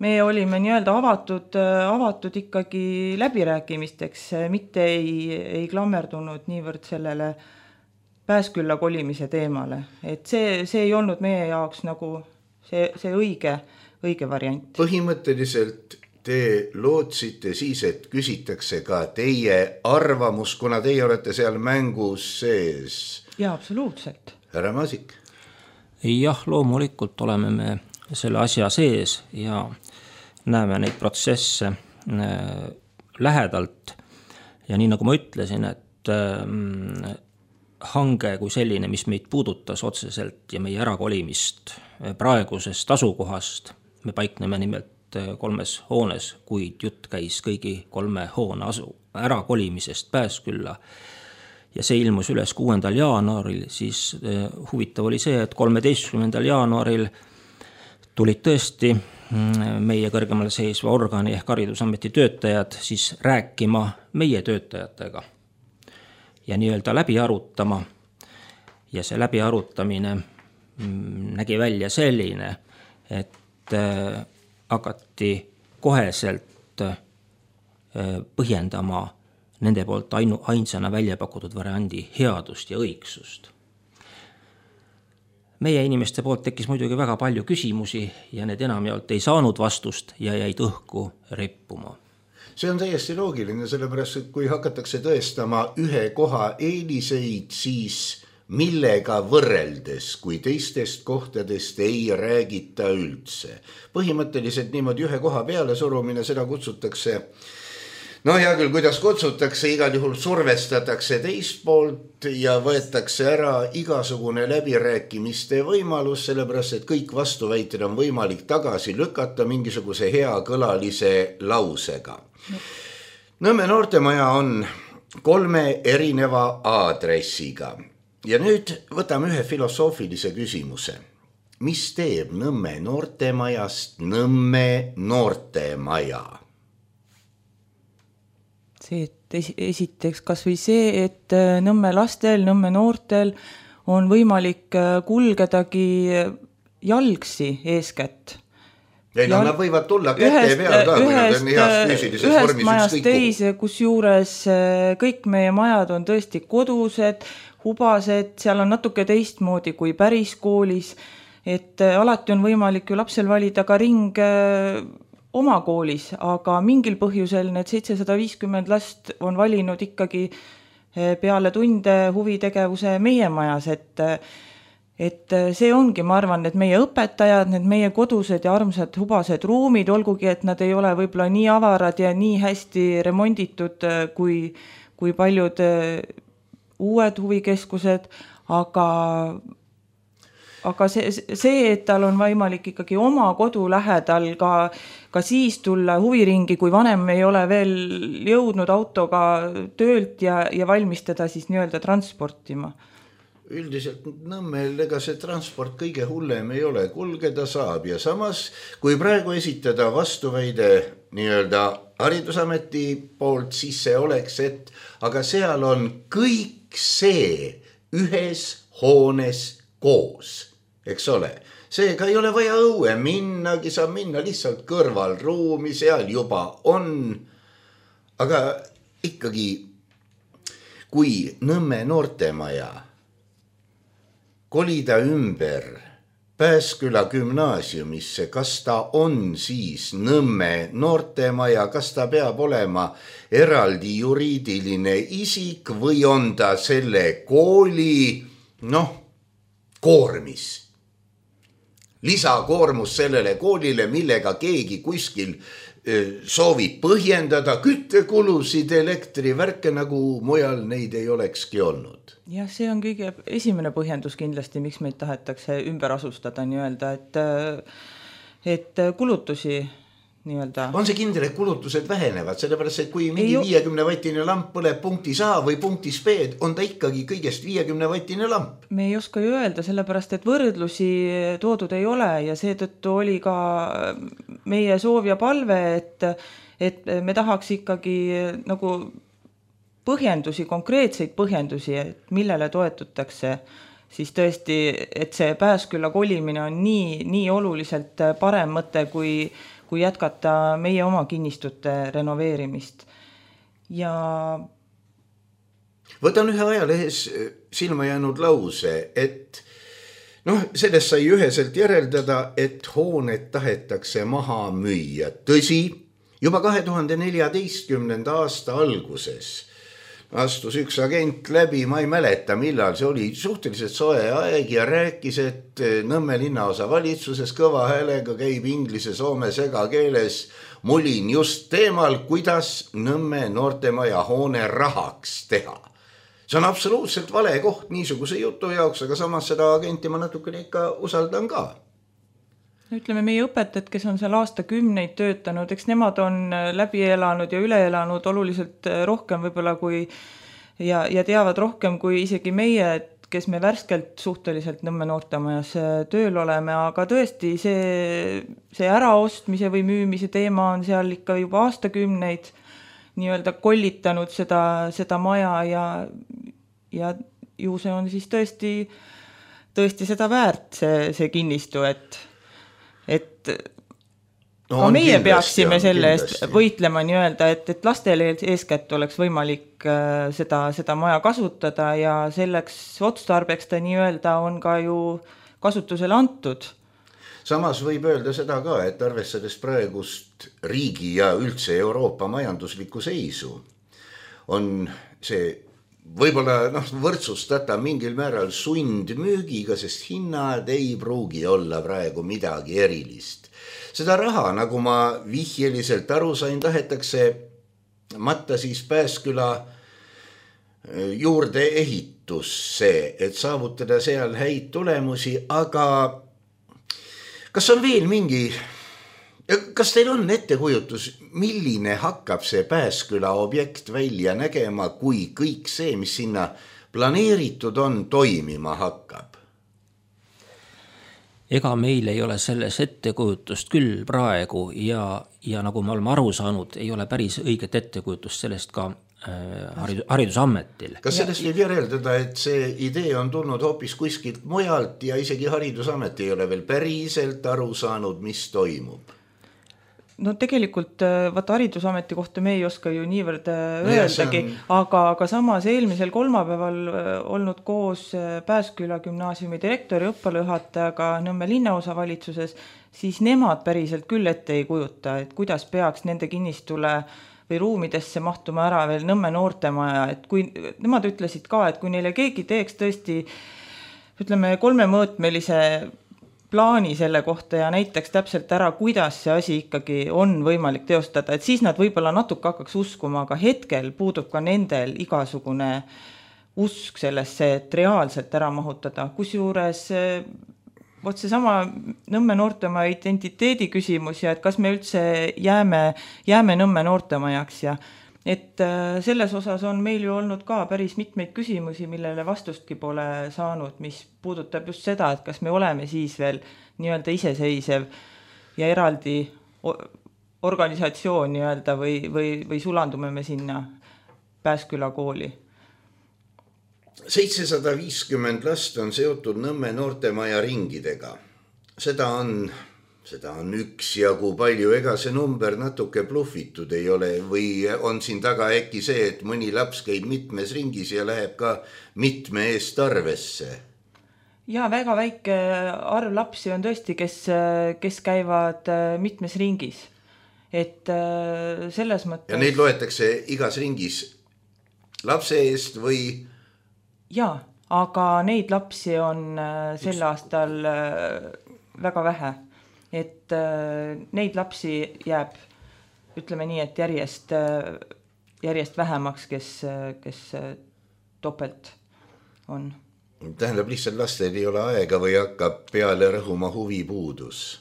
me olime nii-öelda avatud ikkagi läbirääkimisteks, mitte ei klammerdunud niivõrd sellele Pääskülla kolimise teemale, et see ei olnud meie jaoks nagu see õige variant. Põhimõtteliselt te lootsite siis, et küsitakse ka teie arvamus, kuna teie olete seal mängus sees. Jaa, absoluutselt. Härra Maasik? Jah, loomulikult oleme me selle asja sees ja näeme neid protsesse lähedalt. Ja nii nagu ma ütlesin, et hange kui selline, mis meid puudutas otseselt ja meie ärakolimist praegusest asukohast, me paikneme nimelt 3 hoones, kuid jutt käis kõigi 3 hoone ärakolimisest Pääskülla ja see ilmus üles 6. jaanuaril, siis huvitav oli see, et 13. jaanuaril tulid tõesti meie kõrgemal seisva organi ehk Haridusameti töötajad siis rääkima meie töötajatega ja nii-öelda läbi arutama ja see läbi arutamine nägi välja selline, et hakati koheselt põhjendama nende poolt ainsana välja pakutud variandi headust ja õigsust. Meie inimeste poolt tekkis muidugi väga palju küsimusi ja need enamjaolt ei saanud vastust ja jäid õhku rippuma. See on täiesti loogiline, sellepärast, et kui hakatakse tõestama ühe koha eeliseid, siis millega võrreldes, kui teistest kohtadest ei räägita üldse. Põhimõtteliselt niimoodi ühe koha peale surumine, seda kutsutakse, hea küll, kuidas kutsutakse, igal juhul survestatakse teist poolt ja võetakse ära igasugune läbirääkimiste võimalus, sellepärast, et kõik vastuväited on võimalik tagasi lükata mingisuguse hea kõlalise lausega. Nõmme noortemaja on 3 erineva aadressiga ja nüüd võtame ühe filosoofilise küsimuse. Mis teeb Nõmme noortemajast Nõmme noortemaja? See, et esiteks kas või see, et Nõmme lastel, Nõmme noortel on võimalik kulgedagi jalgsi eeskätt. Ei, nad võivad tulla käte peal ka, kui nad on heas füüsilises vormis. Ühest majast teise, kus juures kõik meie majad on tõesti kodused, hubased, seal on natuke teistmoodi kui päris koolis, et alati on võimalik ju lapsel valida ka ring oma koolis, aga mingil põhjusel need 750 last on valinud ikkagi peale tunde huvitegevuse meie majas, et see ongi, ma arvan, et meie õpetajad, need meie kodused ja armsad hubased ruumid, olgugi, et nad ei ole võib-olla nii avarad ja nii hästi remonditud kui paljud uued huvikeskused, aga see, et tal on võimalik ikkagi oma kodu lähedal ka siis tulla huviringi, kui vanem ei ole veel jõudnud autoga töölt ja valmistada siis nii-öelda transportima. üldiselt Nõmmel ega see transport kõige hullem ei ole, kulgeda saab ja samas, kui praegu esitada vastuväide nii-öelda Haridusameti poolt, siis see oleks, et aga seal on kõik see ühes hoones koos, eks ole. Seega ei ole vaja õue minnagi, saab minna lihtsalt kõrvalruumi, seal juba on, aga ikkagi kui Nõmme noortemaja kolida ümber Pääsküla gümnaasiumisse, kas ta on siis Nõmme noortemaja, kas ta peab olema eraldi juriidiline isik või on ta selle kooli, koormis. Lisakoormus sellele koolile, millega keegi kuskil soovib põhjendada küttekulusid, elektrivärke, nagu mujal neid ei olekski olnud. Jah, see on kõige esimene põhjendus kindlasti, miks meid tahetakse ümber asustada nii-öelda, et kulutusi nii-öelda. On see kindel, et kulutused vähenevad, sellepärast, et kui mingi 50-vattine lamp põleb punktis A või punktis B, on ta ikkagi kõigest 50-vattine lamp. Me ei oska ju öelda, sellepärast, et võrdlusi toodud ei ole ja seetõttu oli ka meie soov ja palve, et me tahaks ikkagi nagu põhjendusi, konkreetseid põhjendusi, et millele toetutakse, siis tõesti, et see Pääsküla kolimine on nii oluliselt parem mõte, kui jätkata meie oma kinnistute renoveerimist. Ja võtan ühe ajalehes silma jäänud lause, et sellest sai üheselt järeldada, et hooned tahetakse maha müüa. Tõsi, juba 2014. aasta alguses astus üks agent läbi, ma ei mäleta millal, see oli suhteliselt soe aeg ja rääkis, et Nõmme linnaosa valitsuses kõva häälega käib inglise, soome segakeeles mulin just teemal, kuidas Nõmme noortemaja hoone rahaks teha. See on absoluutselt vale koht niisuguse jutu jaoks, aga samas seda agenti ma natukene ikka usaldan ka. Ütleme, meie õpetajad, kes on seal aastakümneid töötanud, eks nemad on läbi elanud ja üle elanud oluliselt rohkem võib-olla kui ja teavad rohkem kui isegi meie, kes me värskelt suhteliselt Nõmme noortemajas tööl oleme, aga tõesti see äraostmise või müümise teema on seal ikka juba aastakümneid nii-öelda kollitanud seda maja ja ju see on siis tõesti seda väärt see kinnistu, et ka meie peaksime selle eest võitlema nii-öelda, et lastele eeskätt oleks võimalik seda maja kasutada ja selleks otstarbeks ta nii-öelda on ka ju kasutusele antud. Samas võib öelda seda ka, et arvestades praegust riigi ja üldse Euroopa majanduslikku seisu, on see võib-olla võrdsustata mingil määral sundmüügiga, sest hinnad ei pruugi olla praegu midagi erilist. Seda raha, nagu ma vihjeliselt aru sain, tahetakse matta siis Pääsküla juurde ehitusse, et saavutada seal häid tulemusi, aga kas on veel kas teil on ettekujutus, milline hakkab see Pääsküla objekt välja nägema, kui kõik see, mis sinna planeeritud on, toimima hakkab? Ega meil ei ole selles ettekujutust küll praegu ja nagu me oleme aru saanud, ei ole päris õiget ettekujutust sellest ka Haridusametil. Kas sellest võib järeldada, et see idee on tulnud hoopis kuskilt mujalt ja isegi Haridusamet ei ole veel päriselt aru saanud, mis toimub? No tegelikult Haridusameti kohta me ei oska ju niivõrd öeldagi, aga samas eelmisel kolmapäeval olnud koos Pääsküla gümnaasiumi direktori õppealajuhatajaga Nõmme linnaosa valitsuses, siis nemad päriselt küll ette ei kujuta, et kuidas peaks nende kinnistule või ruumidesse mahtuma ära veel Nõmme noortemaja, et kui nemad ütlesid ka, et kui neile keegi teeks tõesti, ütleme, 3-mõõtmelise plaani selle kohta ja näiteks täpselt ära, kuidas see asi ikkagi on võimalik teostada, et siis nad võib-olla natuke hakkaks uskuma, aga hetkel puudub ka nendel igasugune usk sellesse, et reaalselt ära mahutada. Kusjuures seesama Nõmme noortemaja identiteedi küsimus ja et kas me üldse jääme Nõmme noortemajaks ja et selles osas on meil ju olnud ka päris mitmeid küsimusi, millele vastustki pole saanud, mis puudutab just seda, et kas me oleme siis veel nii-öelda iseseisev ja eraldi organisatsioon nii-öelda või sulandume me sinna Pääsküla kooli. 750 last on seotud Nõmme noortemaja ringidega. Seda on üksjagu palju, ega see number natuke blufitud ei ole või on siin taga äkki see, et mõni laps käib mitmes ringis ja läheb ka mitme eest arvesse? Ja väga väike arv lapsi on tõesti, kes käivad mitmes ringis. Et selles mõttes... Ja neid loetakse igas ringis lapse eest või? Jaa, aga neid lapsi on sel aastal väga vähe. Et neid lapsi jääb, ütleme nii, et järjest vähemaks, kes topelt on. Tähendab, lihtsalt lastel ei ole aega või hakkab peale rõhuma huvipuudus?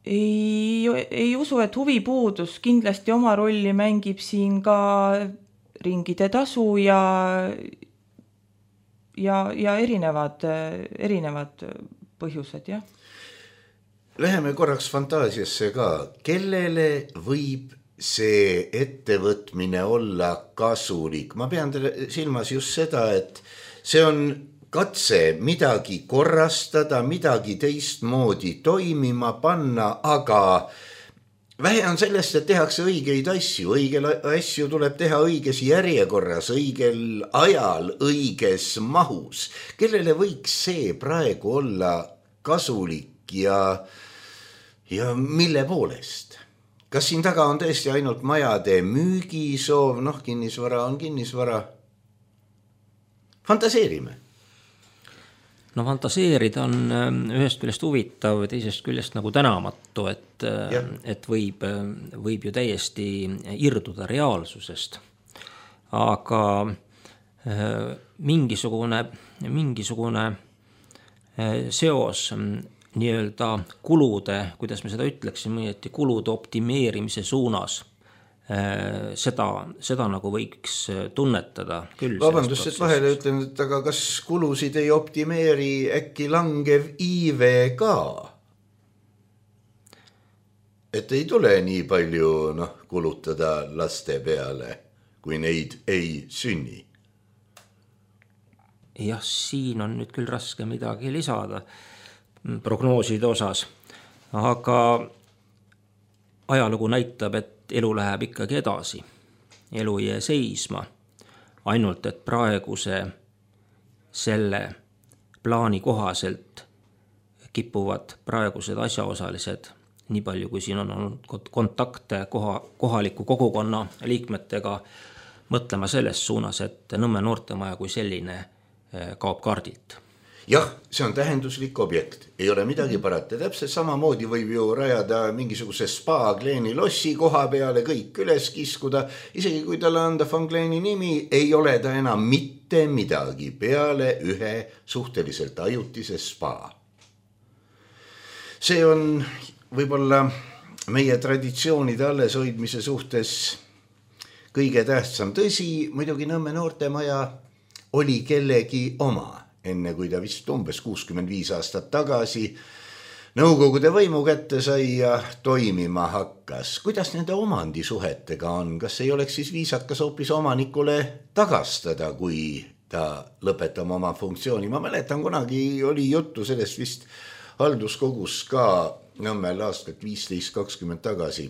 Ei usu, et huvipuudus kindlasti oma rolli mängib siin ka ringide tasu ja erinevad põhjused, jah. Läheme korraks fantaasiasse ka. Kellele võib see ettevõtmine olla kasulik? Ma pean silmas just seda, et see on katse midagi korrastada, midagi teistmoodi toimima panna, aga vähe on sellest, et tehakse õigeid asju. Õigel asju tuleb teha õiges järjekorras, õigel ajal, õiges mahus. Kellele võiks see praegu olla kasulik ja mille poolest? Kas siin taga on tõesti ainult majade müügisoov? Kinnisvara on kinnisvara. Fantaseerime. No fantaseerida on ühest küljest huvitav, teisest küljest nagu tänamatu, et võib ju täiesti irduda reaalsusest. Aga mingisugune seos nii-öelda kulude, kuidas me seda ütleksime, kulude optimeerimise suunas, seda nagu võiks tunnetada küll. Vabandust, et vahele ütlen, et aga kas kulusid ei optimeeri äkki langev iive ka? Et ei tule nii palju kulutada laste peale, kui neid ei sünni? Jah, siin on nüüd küll raske midagi lisada prognooside osas, aga ajalugu näitab, et elu läheb ikkagi edasi. Elu ei jää seisma. Ainult, et praeguse selle plaani kohaselt kipuvad praegused asjaosalised, nii palju kui siin on olnud kontakte kohaliku kogukonna liikmetega, mõtlema selles suunas, et Nõmme noortemaja kui selline kaob kaardilt. Jah, see on tähenduslik objekt, ei ole midagi parata. Täpselt samamoodi võib ju rajada mingisuguse spa Gleeni lossi koha peale, kõik üles kiskuda. Isegi kui talle anda Van Gleeni nimi, ei ole ta enam mitte midagi peale ühe suhteliselt ajutise spa. See on võib-olla meie traditsioonide alleshoidmise suhtes kõige tähtsam. Tõsi, muidugi Nõmme noortemaja oli kellegi oma. Enne kui ta vist umbes 65 aastat tagasi Nõukogude võimu kätte sai ja toimima hakkas. Kuidas nende omandisuhetega on? Kas ei oleks siis viisakas hoopis omanikule tagastada, kui ta lõpetab oma funktsiooni? Ma mäletan, kunagi oli juttu sellest vist halduskogus ka Nõmmel aastat 15-20 tagasi,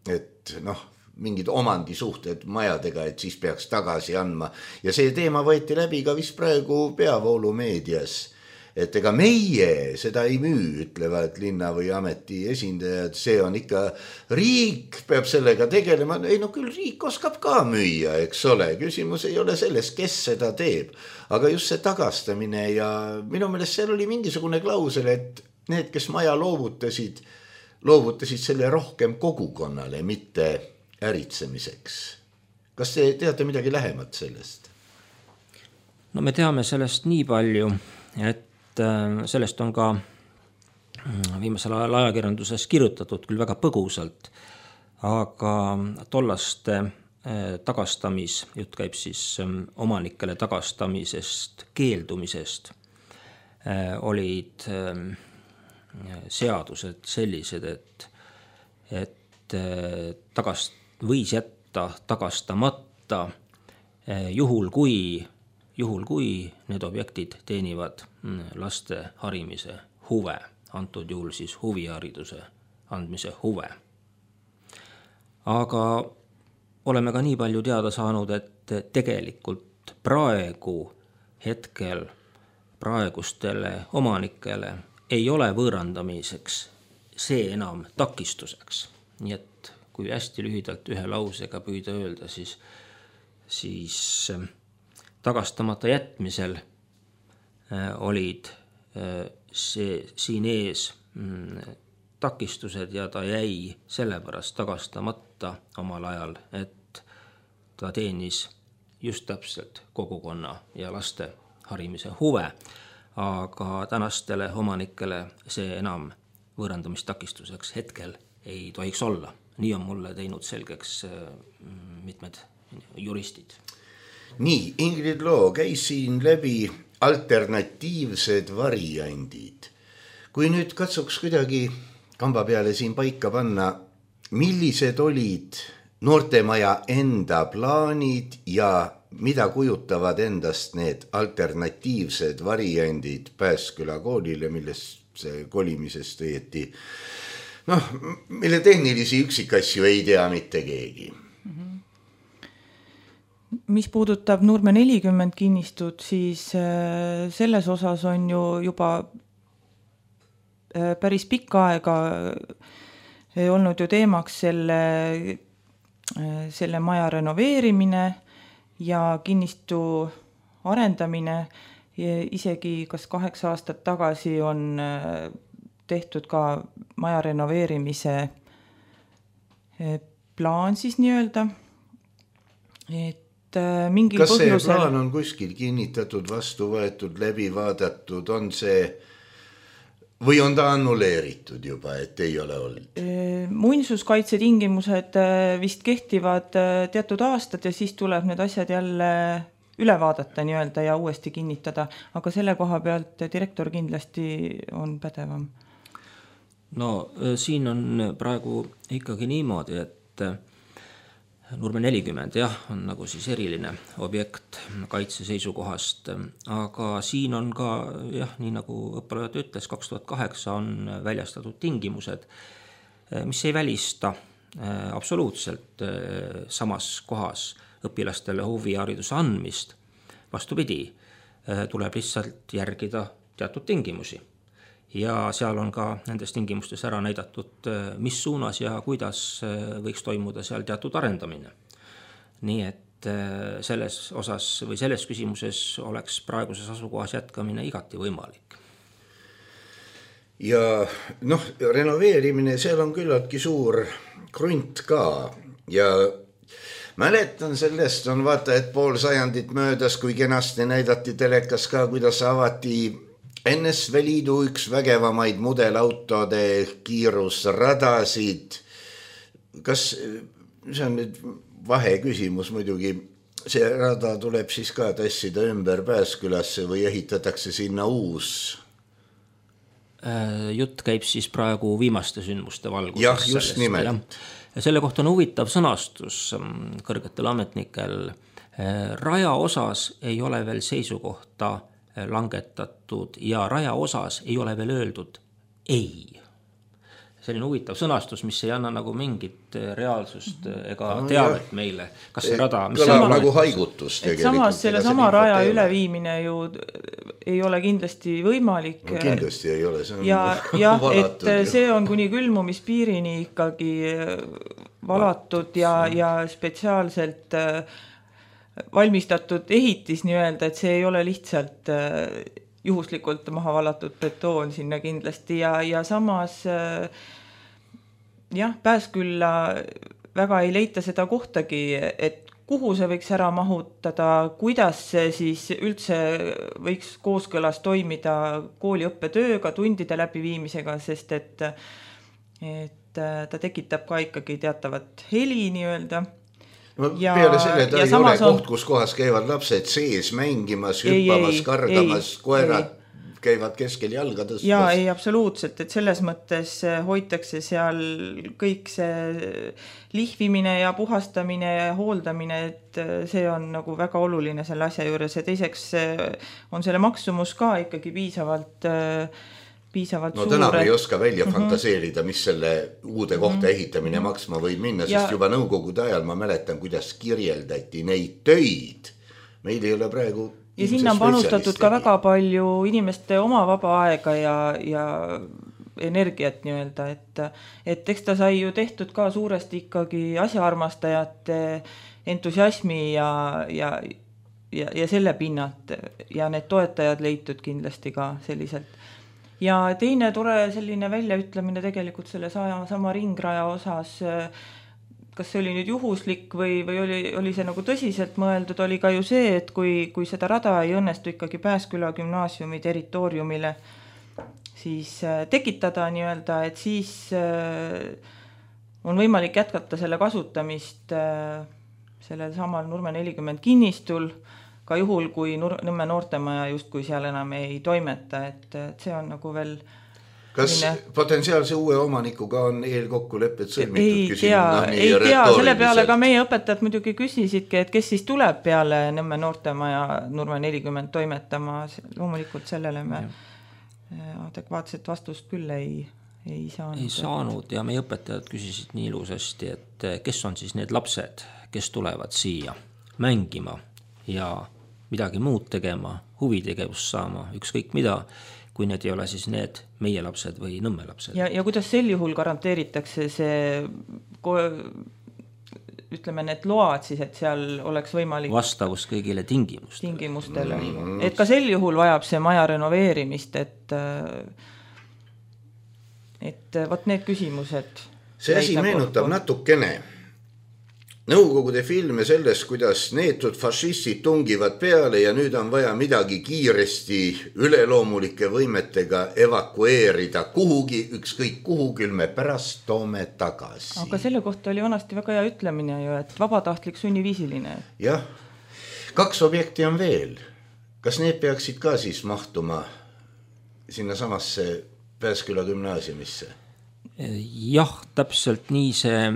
et mingid omandisuhted majadega, et siis peaks tagasi andma. Ja see teema võeti läbi ka vist praegu peavoolumeedias, et ega meie seda ei müü, ütlevad linna või ameti esindajad, see on ikka riik peab sellega tegelema. Ei küll riik oskab ka müüa, eks ole, küsimus ei ole selles, kes seda teeb, aga just see tagastamine ja minu meelest seal oli mingisugune klausel, et need, kes maja loovutasid selle rohkem kogukonnale, mitte äritsemiseks. Kas te teate midagi lähemat sellest? No me teame sellest nii palju, et sellest on ka viimasel ajal ajakirjanduses kirjutatud küll väga põgusalt, aga tollaste jutt käib siis omanikele tagastamisest, keeldumisest, olid seadused sellised, et võis jätta tagastamata juhul, kui need objektid teenivad laste harimise huve, antud juhul siis huvihariduse andmise huve. Aga oleme ka nii palju teada saanud, et tegelikult praegustele omanikele ei ole võõrandamiseks see enam takistuseks. Nii et kui hästi lühidalt ühe lausega püüda öelda, siis tagastamata jätmisel olid siin ees takistused ja ta jäi sellepärast tagastamata omal ajal, et ta teenis just täpselt kogukonna ja laste harimise huve, aga tänastele omanikele see enam võõrandamistakistuseks hetkel ei tohiks olla. Nii on mulle teinud selgeks mitmed juristid. Nii, Ingrid Loo, käis siin läbi alternatiivsed variandid. Kui nüüd katsuks kuidagi kamba peale siin paika panna, millised olid noortemaja enda plaanid ja mida kujutavad endast need alternatiivsed variandid Pääsküla koolile, millest kolimisest õieti, mille tehnilisi üksikasju ei tea mitte keegi. Mis puudutab Nurme 40 kinnistut, siis selles osas on ju juba päris pikka aega olnud ju teemaks selle maja renoveerimine ja kinnistu arendamine. Isegi kas 8 aastat tagasi on tehtud ka maja renoveerimise plaan siis nii-öelda. Mingil kas see põhjusel... plaan on kuskil kinnitatud, vastu võetud, läbi vaadatud, on see või on ta annuleeritud juba, et ei ole olnud? Muinsuskaitse tingimused vist kehtivad teatud aastad ja siis tuleb need asjad jälle üle vaadata nii-öelda ja uuesti kinnitada, aga selle koha pealt direktor kindlasti on pädevam. No siin on praegu ikkagi niimoodi, et Nurme 40 on nagu siis eriline objekt kaitse seisukohast, aga siin on ka, nii nagu õppelajuht ütles, 2008 on väljastatud tingimused, mis ei välista absoluutselt samas kohas õpilastele huvihariduse andmist. Vastupidi, tuleb lihtsalt järgida teatud tingimusi. Ja seal on ka nendes tingimustes ära näidatud, mis suunas ja kuidas võiks toimuda seal teatud arendamine. Nii et selles osas või selles küsimuses oleks praeguses asukohas jätkamine igati võimalik. Ja renoveerimine, seal on küllaltki suur krunt ka ja mäletan sellest on vaata, et pool sajandit möödas, kui kenasti näidati telekas ka, kuidas avati NSV Liidu üks vägevamaid mudelautode kiirusradasid. Kas see on nüüd vahe küsimus muidugi, see rada tuleb siis ka tassida ümber Pääskülasse või ehitatakse sinna uus? Jutt käib siis praegu viimaste sündmuste valguses. Jah, just nimelt. Selle kohta on huvitav sõnastus kõrgetel ametnikel. Raja osas ei ole veel seisukohta langetatud ja raja osas ei ole veel öeldud ei. Selline huvitav sõnastus, mis ei anna nagu mingit reaalsust ega teavet meile. Kas see rada... Kõlab nagu haigutus tegelikult. Samas selle sama raja üleviimine ju ei ole kindlasti võimalik. No, kindlasti ei ole. See on ja et see on kuni külmumispiirini ikkagi valatud ja spetsiaalselt valmistatud ehitis nii-öelda, et see ei ole lihtsalt juhuslikult maha valatud betoon sinna kindlasti ja samas Pääskülla väga ei leita seda kohtagi, et kuhu see võiks ära mahutada, kuidas see siis üldse võiks kooskõlas toimida kooliõppetööga, tundide läbiviimisega, sest et ta tekitab ka ikkagi teatavat heli nii-öelda. peale selle ta ei ole koht, kus kohas käivad lapsed sees mängimas, hüppamas, kargamas, koerad käivad keskel jalga tõstas. Jaa, ei, absoluutselt, et selles mõttes hoitakse seal kõik see lihvimine ja puhastamine ja hooldamine, et see on nagu väga oluline selle asja juures ja teiseks on selle maksumus ka ikkagi piisavalt no täna me ei oska välja fantaseerida, mis selle uude kohta ehitamine maksma võib minna, sest juba nõukogude ajal ma mäletan, kuidas kirjeldati neid töid. Meil ei ole praegu ja sinna on panustatud ka väga palju inimeste oma vaba aega ja energiat nii-öelda, et eks ta sai ju tehtud ka suuresti ikkagi asjaarmastajate entusiasmi ja selle pinnalt ja need toetajad leitud kindlasti ka selliselt. Ja teine tore selline väljaütlemine tegelikult selle sama ringraja osas, kas see oli nüüd juhuslik või oli see nagu tõsiselt mõeldud, oli ka ju see, et kui seda rada ei õnnestu ikkagi Pääsküla gümnaasiumi territooriumile siis tekitada nii-öelda, et siis on võimalik jätkata selle kasutamist sellel samal Nurme 40 kinnistul, ka juhul, kui Nõmme noortemaja justkui seal enam ei toimeta, et see on nagu veel kas potentsiaalse uue omanikuga on eelkokkulepped sõlmitud? Ei tea, selle peale ka meie õpetajad muidugi küsisidki, et kes siis tuleb peale Nõmme noortemaja Nurme 40 toimetama, loomulikult sellele me adekvaatset vastust küll ei saanud. Ei saanud ja meie õpetajad küsisid nii ilusasti, et kes on siis need lapsed, kes tulevad siia mängima ja midagi muud tegema, huvitegevust saama, ükskõik mida, kui need ei ole siis need meie lapsed või Nõmme lapsed. Ja kuidas sel juhul garanteeritakse see, ütleme, need load siis, et seal oleks võimalik vastavus kõigile tingimustele. Et ka sel juhul vajab see maja renoveerimist, et võt need küsimused. See asi meenutab natukene Nõukogude filme sellest, kuidas neetud fašistid tungivad peale ja nüüd on vaja midagi kiiresti üleloomulike võimetega evakueerida kuhugi, ükskõik kuhu, küll me pärast toome tagasi. Aga selle kohta oli vanasti väga hea ütlemine ju, et vabatahtlik sunniviisiline. Jah, 2 objekti on veel. Kas need peaksid ka siis mahtuma sinna samasse Pääsküla gümnaasiumisse? Jah, täpselt nii see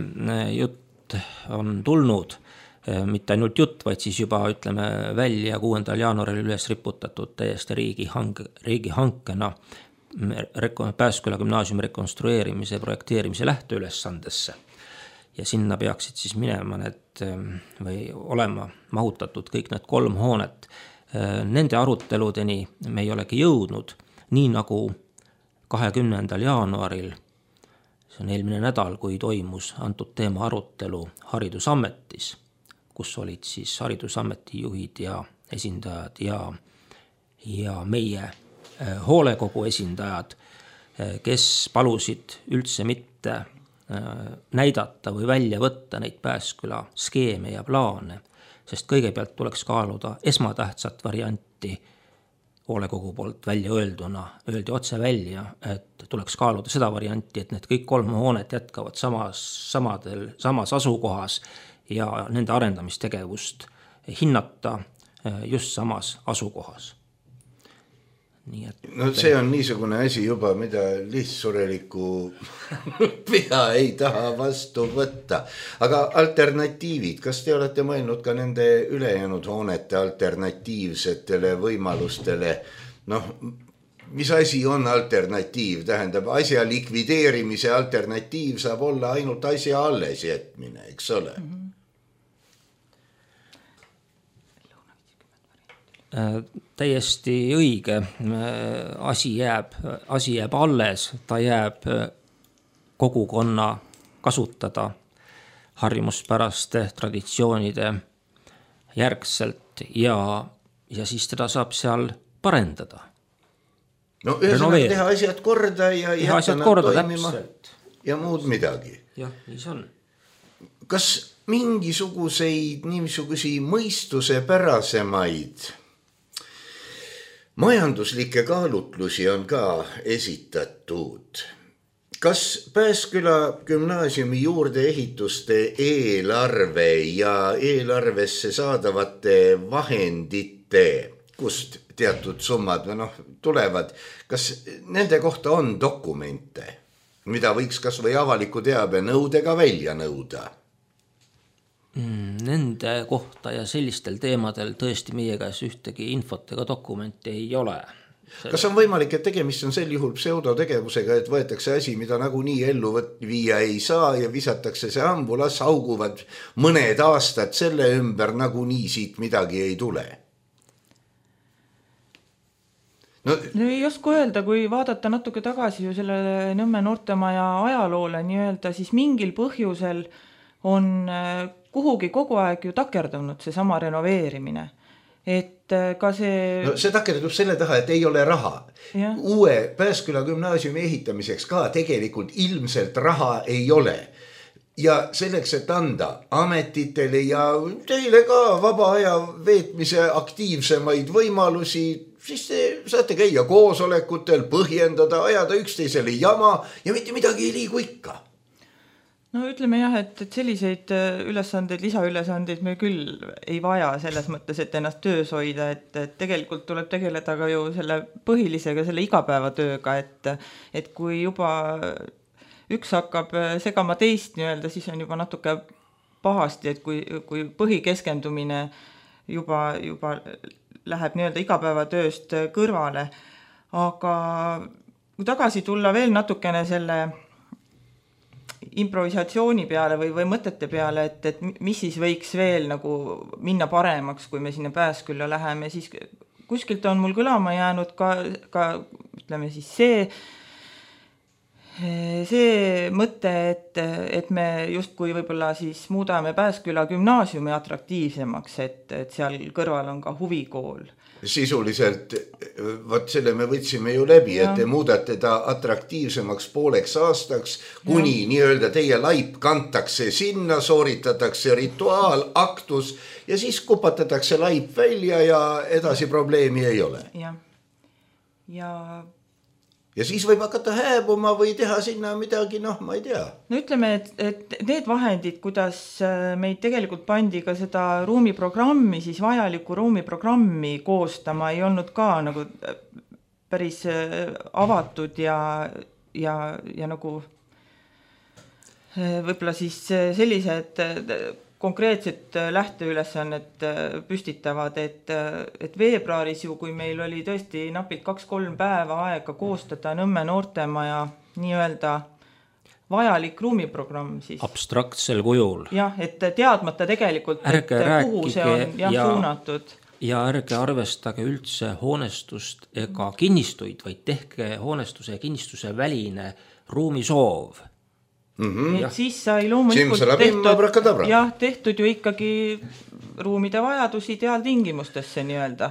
jutt on tulnud, mitte ainult jutt, vaid siis juba ütleme välja 6. jaanuaril üles riputatud täiesti riigihankena Pääsküla gümnaasiumi rekonstrueerimise ja projekteerimise lähteülesandesse. Ja sinna peaksid siis minema need või olema mahutatud kõik need 3 hoonet. Nende aruteludeni me ei olegi jõudnud, nii nagu 20. jaanuaril, see on eelmine nädal, kui toimus antud teema arutelu Haridusametis, kus olid siis Haridusameti juhid ja esindajad ja meie hoolekogu esindajad, kes palusid üldse mitte näidata või välja võtta neid Pääsküla skeeme ja plaane, sest kõigepealt tuleks kaaluda esmatähtsat varianti hoolekogu poolt välja öeldi otse välja, et tuleks kaaluda seda varianti, et need kõik 3 hoonet jätkavad samas asukohas ja nende arendamistegevust hinnata just samas asukohas. Nii et no see on niisugune asi juba, mida lihtsureliku pea ei taha vastu võtta. Aga alternatiivid, kas te olete mõelnud ka nende ülejäänud hoonete alternatiivsetele võimalustele? Noh, mis asi on alternatiiv? Tähendab, asja likvideerimise alternatiiv saab olla ainult asja alles jätmine, eks ole? Täiesti õige, asi jääb alles, ta jääb kogukonna kasutada harjumuspäraste traditsioonide järgselt ja siis teda saab seal parendada. No ühesõnaga teha asjad korda ja jätta nad toimima täpselt. Ja muud midagi. Jah, nii see on. Kas mingisuguseid niisugusi mõistuse pärasemaid majanduslikke kaalutlusi on ka esitatud? Kas Pääsküla gümnaasiumi juurdeehituste eelarve ja eelarvesse saadavate vahendite, kust teatud summad tulevad, kas nende kohta on dokumente, mida võiks kas või avaliku teabe nõudega välja nõuda? Nende kohta ja sellistel teemadel tõesti meie käes ühtegi infot ega dokumenti ei ole. Kas on võimalik, et tegemist on sel juhul pseudotegevusega, et võetakse asi, mida nagunii ellu viia ei saa ja visatakse see ambu, las hauguvad mõned aastad selle ümber, nagunii siit midagi ei tule? No ei oska öelda, kui vaadata natuke tagasi ju selle Nõmme noortemaja ajaloole nii-öelda, siis mingil põhjusel on kuhugi kogu aeg ju takerdunud see sama renoveerimine. Et ka see... No see takerdub selle taha, et ei ole raha. Ja. Uue Pääsküla gümnaasiumi ehitamiseks ka tegelikult ilmselt raha ei ole. Ja selleks, et anda ametitele ja teile ka vaba aja veetmise aktiivsemaid võimalusi, siis te saate käia koosolekutel, põhjendada, ajada üksteisele jama ja mitte midagi ei liigu ikka. No ütleme jah, et selliseid ülesandeid, lisaülesandeid me küll ei vaja selles mõttes, et ennast töös hoida, et tegelikult tuleb tegeleda ka ju selle põhilisega, selle igapäevatööga, et kui juba üks hakkab segama teist nii-öelda, siis on juba natuke pahasti, et kui põhikeskendumine juba läheb nii-öelda igapäevatööst kõrvale. Aga kui tagasi tulla veel natukene selle improvisatsiooni peale või mõtete peale, et mis siis võiks veel nagu minna paremaks, kui me sinna Pääskülla läheme, siis kuskilt on mul kõlama jäänud ka ütleme siis see mõte, et me justkui võib-olla siis muudame Pääsküla gümnaasiumi atraktiivsemaks, et seal kõrval on ka huvikool. Sisuliselt, võt selle me võtsime ju läbi, et te muudate ta atraktiivsemaks pooleks aastaks, kuni nii-öelda teie laip kantakse sinna, sooritatakse rituaal, aktus ja siis kupatatakse laip välja ja edasi probleemi ei ole. Ja siis võib hakata hääbuma või teha sinna midagi, ma ei tea. No ütleme, et need vahendid, kuidas meid tegelikult pandi ka seda ruumiprogrammi, siis vajalikku ruumiprogrammi koostama ei olnud ka nagu päris avatud ja nagu võib-olla siis sellised konkreetset lähteülesannet püstitavad, et veebruaris ju, kui meil oli tõesti napilt 2-3 päeva aega koostada Nõmme noortemaja nii-öelda vajalik ruumiprogramm siis. Abstraktsel kujul. Jah, et teadmata tegelikult, kuhu see on suunatud. Ja ärge arvestage üldse hoonestust ega kinnistuid, vaid tehke hoonestuse ja kinnistuse väline ruumisoov. Et siis sai loomulikult tehtud ju ikkagi ruumide vajadus ideaaltingimustesse nii-öelda.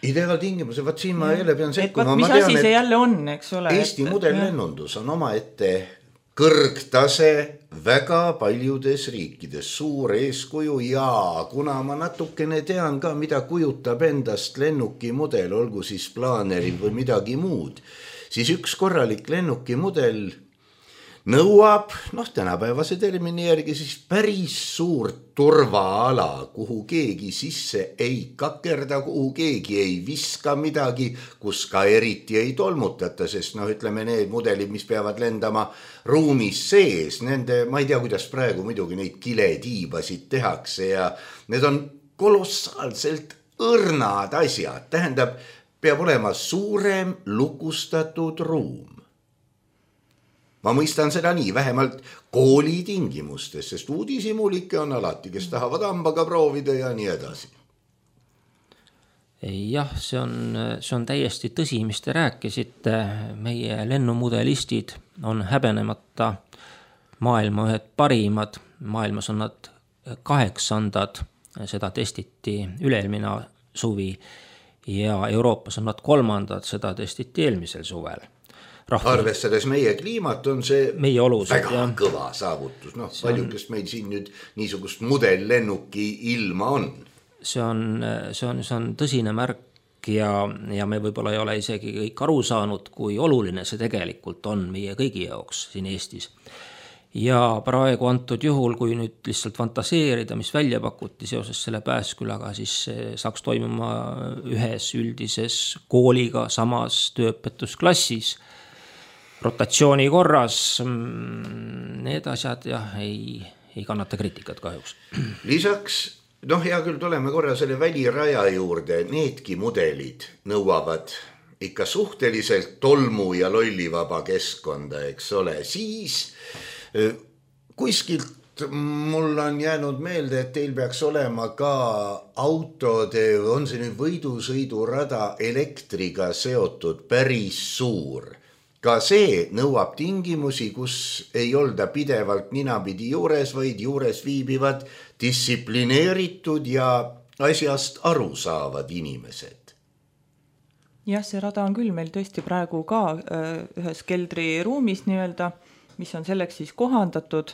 Ideaaltingimuse, vaat siin ma jälle pean sekkuma. Mis asi see jälle on, eks ole? Eesti modellennundus on omaette kõrgtase väga paljudes riikides, suur eeskuju ja kuna ma natukene tean ka, mida kujutab endast lennuki mudel, olgu siis plaaneri või midagi muud, siis üks korralik lennuki mudel nõuab, tänapäevase termini järgi siis päris suurt turvaala, kuhu keegi sisse ei kakerda, kuhu keegi ei viska midagi, kus ka eriti ei tolmutata, sest ütleme need mudelid, mis peavad lendama ruumis sees, nende, ma ei tea, kuidas praegu muidugi neid kiletiibasid tehakse ja need on kolossaalselt õrnad asjad, tähendab, peab olema suurem lukustatud ruum. Ma mõistan seda nii, vähemalt kooli tingimustes, sest uudishimulikke on alati, kes tahavad hambaga proovida ja nii edasi. Jah, see on täiesti tõsi, mis te rääkisite. Meie lennumudelistid on häbenemata maailma ühed parimad. Maailmas on nad 8. Seda testiti üle-eelmine suvi ja Euroopas on nad 3. Seda testiti eelmisel suvel. Arvestades meie kliimat on see meie olused, väga kõva saavutus. Paljudest meil siin nüüd niisugust modellennuki ilma on. See on tõsine märk ja me võib-olla ei ole isegi kõik aru saanud, kui oluline see tegelikult on meie kõigi jaoks siin Eestis. Ja praegu antud juhul, kui nüüd lihtsalt fantaseerida, mis välja pakuti seoses selle Pääskülaga, siis saaks toimuma ühes üldises kooliga samas tööõpetusklassis rotatsiooni korras. Need asjad ei kannata kriitikat kahjuks. Lisaks, hea küll, tuleme korra selle väliraja juurde, needki mudelid nõuavad ikka suhteliselt tolmu ja lollivaba keskkonda, eks ole, siis kuskilt mul on jäänud meelde, et teil peaks olema ka autode, on see nüüd võidusõidurada elektriga seotud päris suur. Ka see nõuab tingimusi, kus ei olda pidevalt ninapidi juures, vaid juures viibivad distsiplineeritud ja asjast aru saavad inimesed. Jah, see rada on küll meil tõesti praegu ka ühes keldriruumis nii-öelda, mis on selleks siis kohandatud,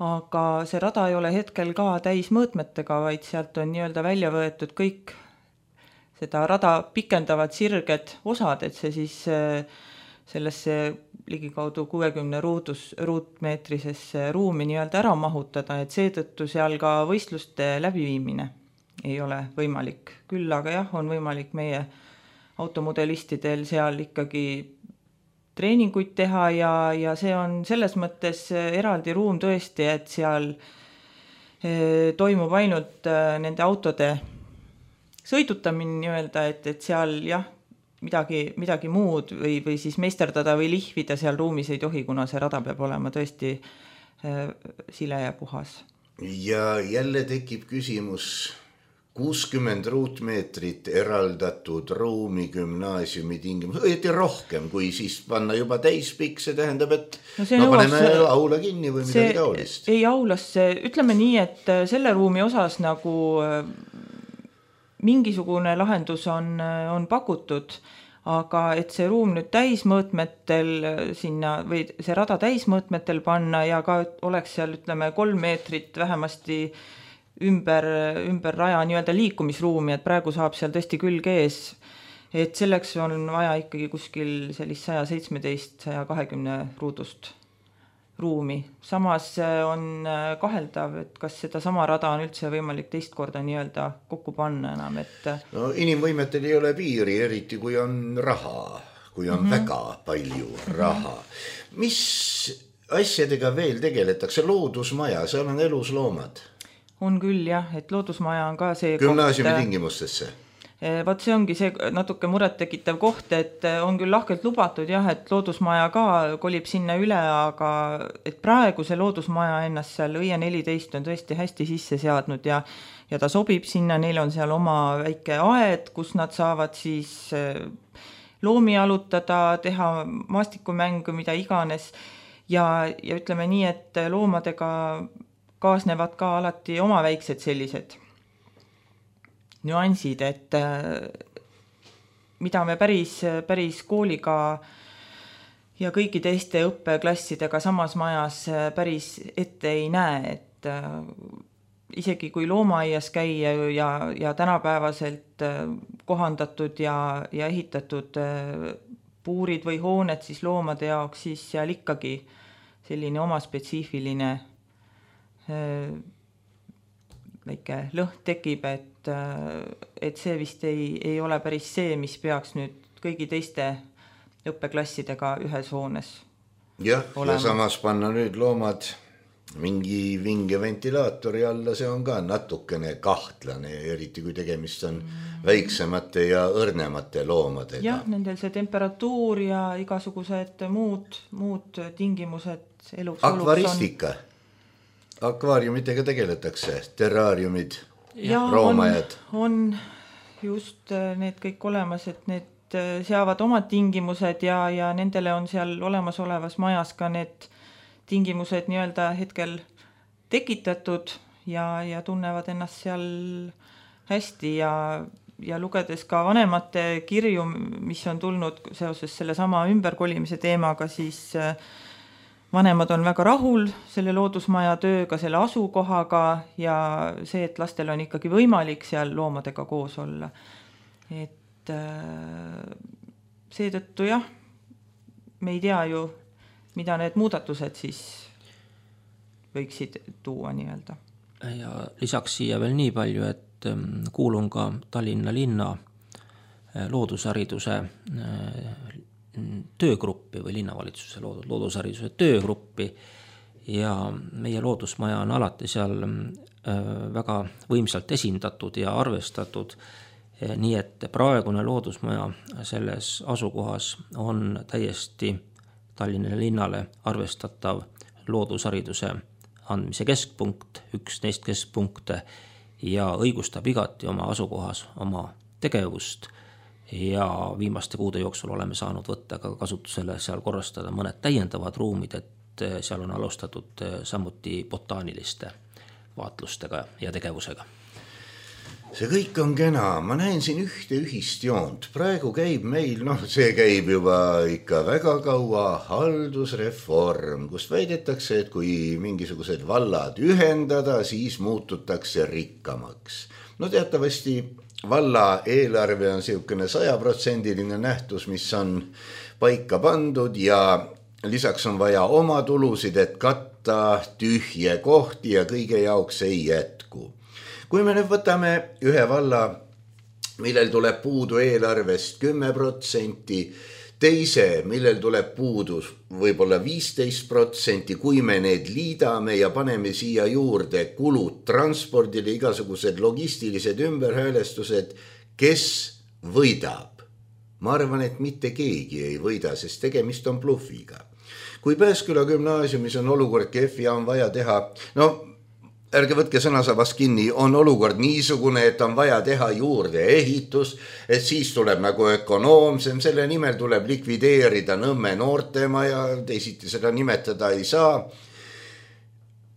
aga see rada ei ole hetkel ka täismõõtmetega, vaid sealt on nii-öelda välja võetud kõik seda rada pikendavad sirged osad, et see siis sellesse ligikaudu 60 ruutmeetrisesse ruumi nii-öelda ära mahutada, et seetõttu seal ka võistluste läbiviimine ei ole võimalik. Küll aga jah, on võimalik meie automodelistidel seal ikkagi treeninguid teha ja see on selles mõttes eraldi ruum tõesti, et seal toimub ainult nende autode sõidutamine nii-öelda, et seal jah, midagi muud või siis meisterdada või lihvida seal ruumis ei tohi, kuna see rada peab olema tõesti sile ja puhas. Ja jälle tekib küsimus 60 ruutmeetrit eraldatud ruumi gümnaasiumi tingimus, õieti rohkem, kui siis panna juba täispikk, see tähendab, et paneme aula kinni või midagi taolist. Ei aulasse, ütleme nii, et selle ruumi osas nagu mingisugune lahendus on pakutud, aga et see ruum nüüd täismõõtmetel sinna või see rada täismõõtmetel panna ja ka oleks seal ütleme 3 meetrit vähemasti ümber raja nii-öelda liikumisruumi, et praegu saab seal tõesti külg ees, et selleks on vaja ikkagi kuskil sellist 117-120 ruudust ruumi. Samas on kaheldav, et kas seda sama rada on üldse võimalik teist korda nii-öelda kokku panna enam, et no inimvõimetel ei ole piiri, eriti kui on raha, kui on väga palju raha. Mis asjadega veel tegeletakse? Loodusmaja, seal on elusloomad. On küll jah, et loodusmaja on ka see gümnaasiumi tingimustesse. Vaat see ongi see natuke muret tekitav koht, et on küll lahkelt lubatud jah, et loodusmaja ka kolib sinna üle, aga et praegu see loodusmaja ennast seal Õie 14 on tõesti hästi sisse seadnud ja ta sobib sinna, neil on seal oma väike aed, kus nad saavad siis loomi alutada, teha maastikumängu, mida iganes ja ütleme nii, et loomadega kaasnevad ka alati oma väiksed sellised nüansid, et mida me päris kooliga ja kõigi teiste õppeklassidega samas majas päris ette ei näe, et isegi kui loomaaias käia ja tänapäevaselt kohandatud ja ehitatud puurid või hooned siis loomade jaoks, siis seal ikkagi selline oma spetsiifiline väike lõht tekib, et see vist ei ole päris see, mis peaks nüüd kõigi teiste õppeklassidega ühes hoones olema. Ja samas panna nüüd loomad mingi vinge ventilaatori alla, see on ka natukene kahtlane, eriti kui tegemist on väiksemate ja õrnemate loomadega. Jah, nendel see temperatuur ja igasugused muud tingimused eluks akvaristika. Akvaariumitega tegeletakse, terraariumid, roomajad. On just need kõik olemas, et need seavad omad tingimused ja nendele on seal olemasolevas majas ka need tingimused nii-öelda hetkel tekitatud ja tunnevad ennast seal hästi ja lugedes ka vanemate kirju, mis on tulnud seoses selle sama ümberkolimise teemaga, siis vanemad on väga rahul selle loodusmaja tööga, selle asukohaga ja see, et lastel on ikkagi võimalik seal loomadega koos olla. Et et seetõttu jah, me ei tea ju, mida need muudatused siis võiksid tuua nii-öelda. Ja lisaks siia veel nii palju, et kuulun ka Tallinna linna loodushariduse töögruppi või linnavalitsuse loodushariduse töögruppi ja meie loodusmaja on alati seal väga võimsalt esindatud ja arvestatud, nii et praegune loodusmaja selles asukohas on täiesti Tallinna linnale arvestatav loodushariduse andmise keskpunkt, üks neist keskpunkte ja õigustab igati oma asukohas oma tegevust ja viimaste kuude jooksul oleme saanud võtta ka kasutusele seal korrastada mõned täiendavad ruumid, et seal on alustatud samuti botaaniliste vaatlustega ja tegevusega. See kõik on kena, ma näen siin ühte ühist joont, praegu käib meil, see käib juba ikka väga kaua haldusreform, kust väidetakse, et kui mingisugused vallad ühendada, siis muututakse rikkamaks. Teatavasti valla eelarve on siukene 100% nähtus, mis on paika pandud ja lisaks on vaja oma tulusid, et katta tühje kohti ja kõige jaoks ei jätku. Kui me nüüd võtame ühe valla, millel tuleb puudu eelarvest 10%, teise, millel tuleb puudu võib-olla 15%, kui me need liidame ja paneme siia juurde kulud transpordile, igasugused logistilised ümberhäälestused, kes võidab? Ma arvan, et mitte keegi ei võida, sest tegemist on bluffiga. Kui Pääsküla gümnaasiumis on olukord kehv ja on vaja teha, ärge võtke sõnasabast kinni, on olukord niisugune, et on vaja teha juurde ehitus, et siis tuleb nagu ökonoomsem, selle nimel tuleb likvideerida Nõmme noortemaja, teisiti seda nimetada ei saa,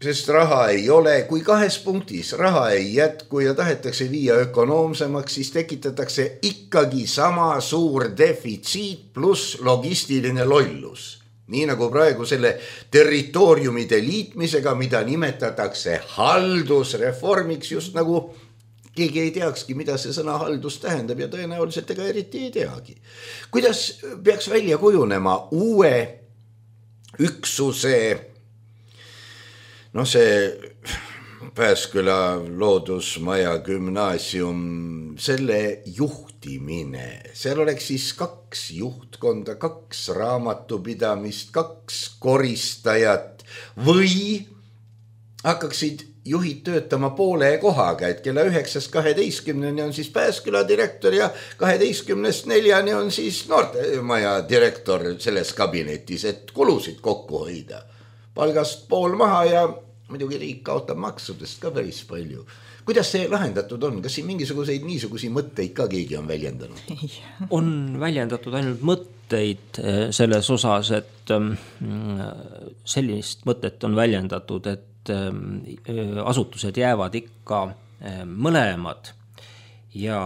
sest raha ei ole. Kui 2 punktis raha ei jätku ja tahetakse viia ökonoomsemaks, siis tekitatakse ikkagi sama suur defitsiit pluss logistiline lollus. Nii nagu praegu selle territooriumide liitmisega, mida nimetatakse haldusreformiks, just nagu keegi ei teakski, mida see sõna haldus tähendab ja tõenäoliselt ega eriti ei teagi. Kuidas peaks välja kujunema uue üksuse, see Pääsküla loodusmaja gümnaasium, selle juhtimine, seal oleks siis 2 juhtkonda, 2 raamatupidamist, 2 koristajat või hakkaksid juhid töötama poole kohaga, et kella 9-12 on siis Pääsküla direktor ja 12-4 on siis noortemaja direktor selles kabinetis, et kulusid kokku hoida. Palgast pool maha ja muidugi riik kaotab maksudest ka päris palju. Kuidas see lahendatud on? Kas siin mingisuguseid niisugusi mõtteid ka keegi on väljendanud? On väljendatud ainult mõtteid selles osas, et sellist mõtet on väljendatud, et asutused jäävad ikka mõlemad ja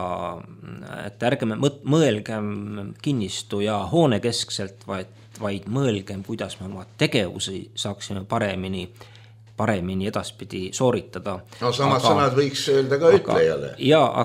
et ärgem mõelgem kinnistu ja hoone keskselt, vaid mõelgem, kuidas me oma tegevusi saaksime paremini edaspidi sooritada. Samad sõnad võiks öelda ka ütlejale.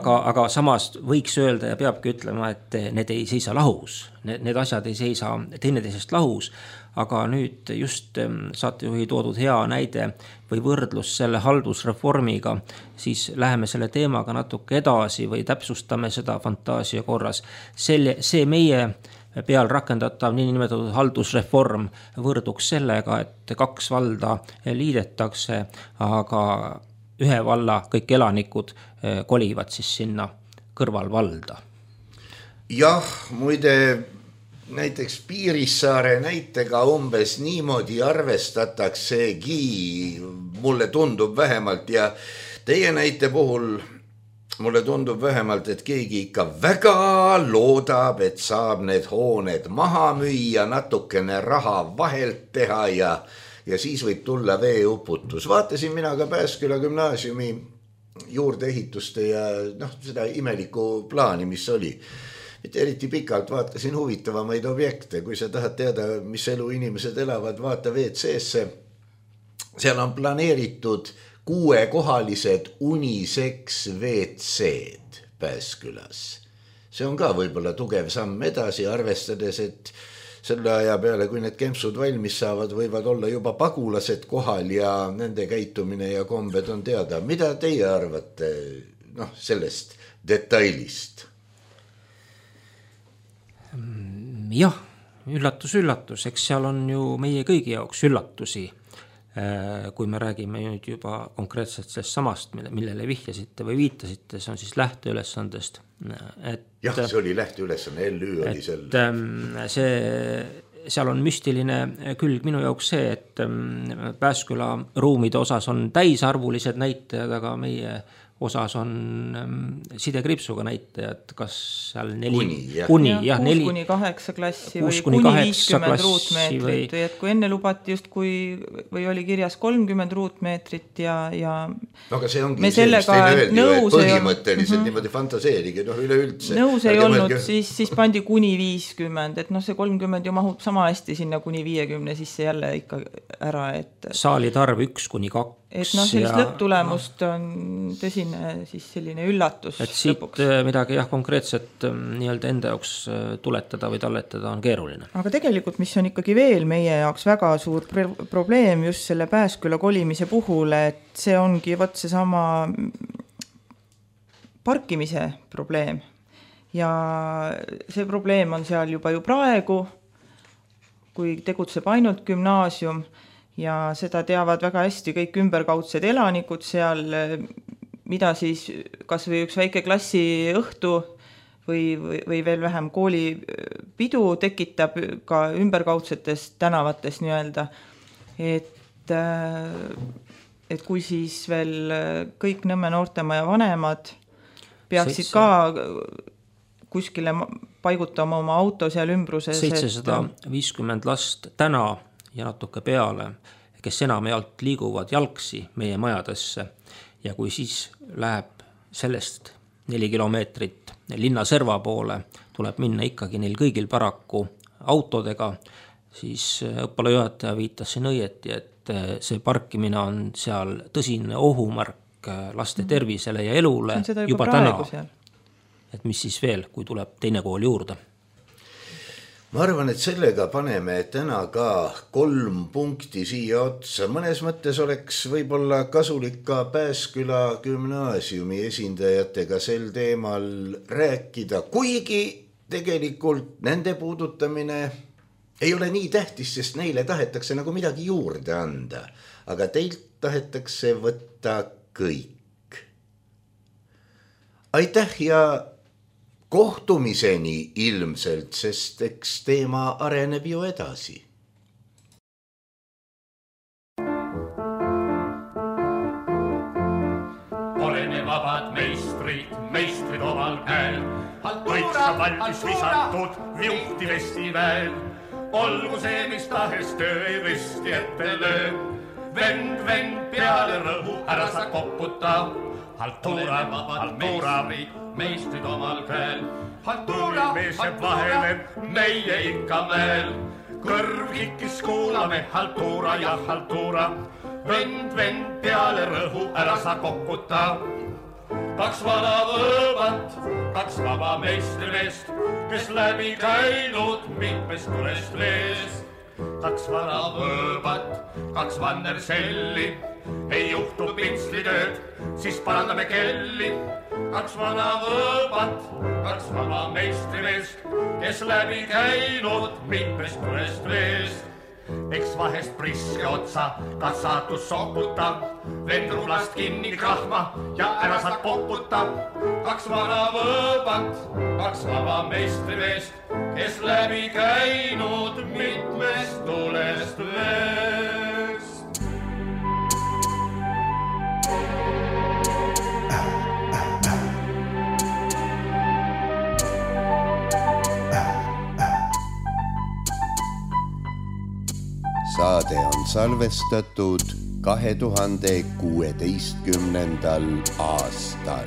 Aga samas võiks öelda ja peabki ütlema, et need ei seisa lahus. Need asjad ei seisa teineteisest lahus, aga nüüd just saatejuhi toodud hea näide või võrdlus selle haldusreformiga, siis läheme selle teemaga natuke edasi või täpsustame seda fantaasia korras. See meie peal rakendatav niinimetatud haldusreform võrduks sellega, et 2 valda liidetakse, aga ühe valla kõik elanikud kolivad siis sinna kõrvalvalda. Jah, muide näiteks Piirissaare näitega umbes niimoodi arvestataksegi, mulle tundub vähemalt ja teie näite puhul mulle tundub vähemalt, et keegi ikka väga loodab, et saab need hooned maha müüa, natukene raha vahelt teha ja siis võib tulla veeuputus. Vaatasin mina ka Pääsküla gümnaasiumi juurdeehituste ja seda imelikku plaani, mis oli. Mitte eriti pikalt vaatasin huvitavamaid objekte. Kui sa tahad teada, mis elu inimesed elavad, vaata WC-sse. Seal on planeeritud 6-kohalised unisex WC-d Pääskülas. see on ka võib-olla tugev samm edasi, arvestades, et selle aja peale, kui need kempsud valmis saavad, võivad olla juba pagulased kohal ja nende käitumine ja kombed on teada. Mida teie arvate sellest detailist? Jah, üllatus, eks seal on ju meie kõigi jaoks üllatusi, kui me räägime nüüd juba konkreetselt sellest samast, millele vihjasite või viitasite, see on siis lähteülesandest. Jah, see oli lähteülesanne, LÜ oli seal on müstiline külg minu jaoks see, et Pääsküla ruumide osas on täisarvulised näitajad, aga meie osas on sidekriipsuga näitajad, kas seal 6 kuni 8 klassi või kuni 50 ruutmeetrit või et kui enne lubati just või oli kirjas 30 ruutmeetrit ja aga see ongi me sellega nõus põhimõtteliselt niimoodi fantaseerige, üleüldse. Nõus ei olnud, siis pandi kuni 50, et see 30 ju mahub sama hästi sinna kuni 50, siis see jälle ikka ära, et saalide arv 1-2. Et sellist lõpptulemust on tõsine siis selline üllatus. Et siit lõpuks midagi konkreetselt nii-öelda enda jaoks tuletada või talletada on keeruline. Aga tegelikult, mis on ikkagi veel meie jaoks väga suur probleem just selle Pääsküla kolimise puhul, et see ongi see sama parkimise probleem. Ja see probleem on seal juba ju praegu, kui tegutseb ainult gümnaasium, ja seda teavad väga hästi kõik ümberkaudsed elanikud seal, mida siis kas või üks väike klassi õhtu või veel vähem koolipidu tekitab ka ümberkaudsetes tänavates nii-öelda. Et kui siis veel kõik Nõmme Noortemaja vanemad peaksid ka kuskile paigutama oma auto seal ümbruses. 750 last täna ja natuke peale, kes enamjaolt liiguvad jalgsi meie majadesse ja kui siis läheb sellest 4 kilomeetrit linna serva poole, tuleb minna ikkagi neil kõigil paraku autodega, siis õppealajuhataja viitas siin õieti, et see parkimine on seal tõsine ohumärk laste tervisele ja elule juba täna. Et mis siis veel, kui tuleb teine kool juurde? Ma arvan, et sellega paneme täna ka 3 punkti siia otsa. Mõnes mõttes oleks võib-olla kasulik ka Pääsküla gümnaasiumi esindajatega sel teemal rääkida, kuigi tegelikult nende puudutamine ei ole nii tähtis, sest neile tahetakse nagu midagi juurde anda, aga teilt tahetakse võtta kõik. Aitäh ja kohtumiseni ilmselt, sest eks teema areneb ju edasi. Oleme vabad meistrid omal käel, kõik saab valmis visatud viuhti vestiväel. Olgu see, mis tahes töö ei risti ette löö, vend peale rõhu, ära sa koputa. Haltuura, meistrid omal käel. Haltuuri mees jääb vahele, meie ikka veel. Kõrv kikkis kuulame, haltuura ja haltuura. Vend peale rõhu, ära sa koputa. 2 vana võõbat, 2 vaba meistrimeest, kes läbi käinud mitmest tulest veest. 2 vana võõbat, 2 vannerselli, ei juhtu pintslitööd, siis parandame kelli. 2 vana võõbat, 2 vaba meistrimeest, kes läbi käinud mitmest tulest veest. Eks vahest priske otsa, ka saatus soputa, vend rulast kinni krahma ja ära saad poputa. 2 vana võõbat, 2 vaba meistrimeest, kes läbi käinud mitmest tulest veest. Saade on salvestatud 2016. aastal.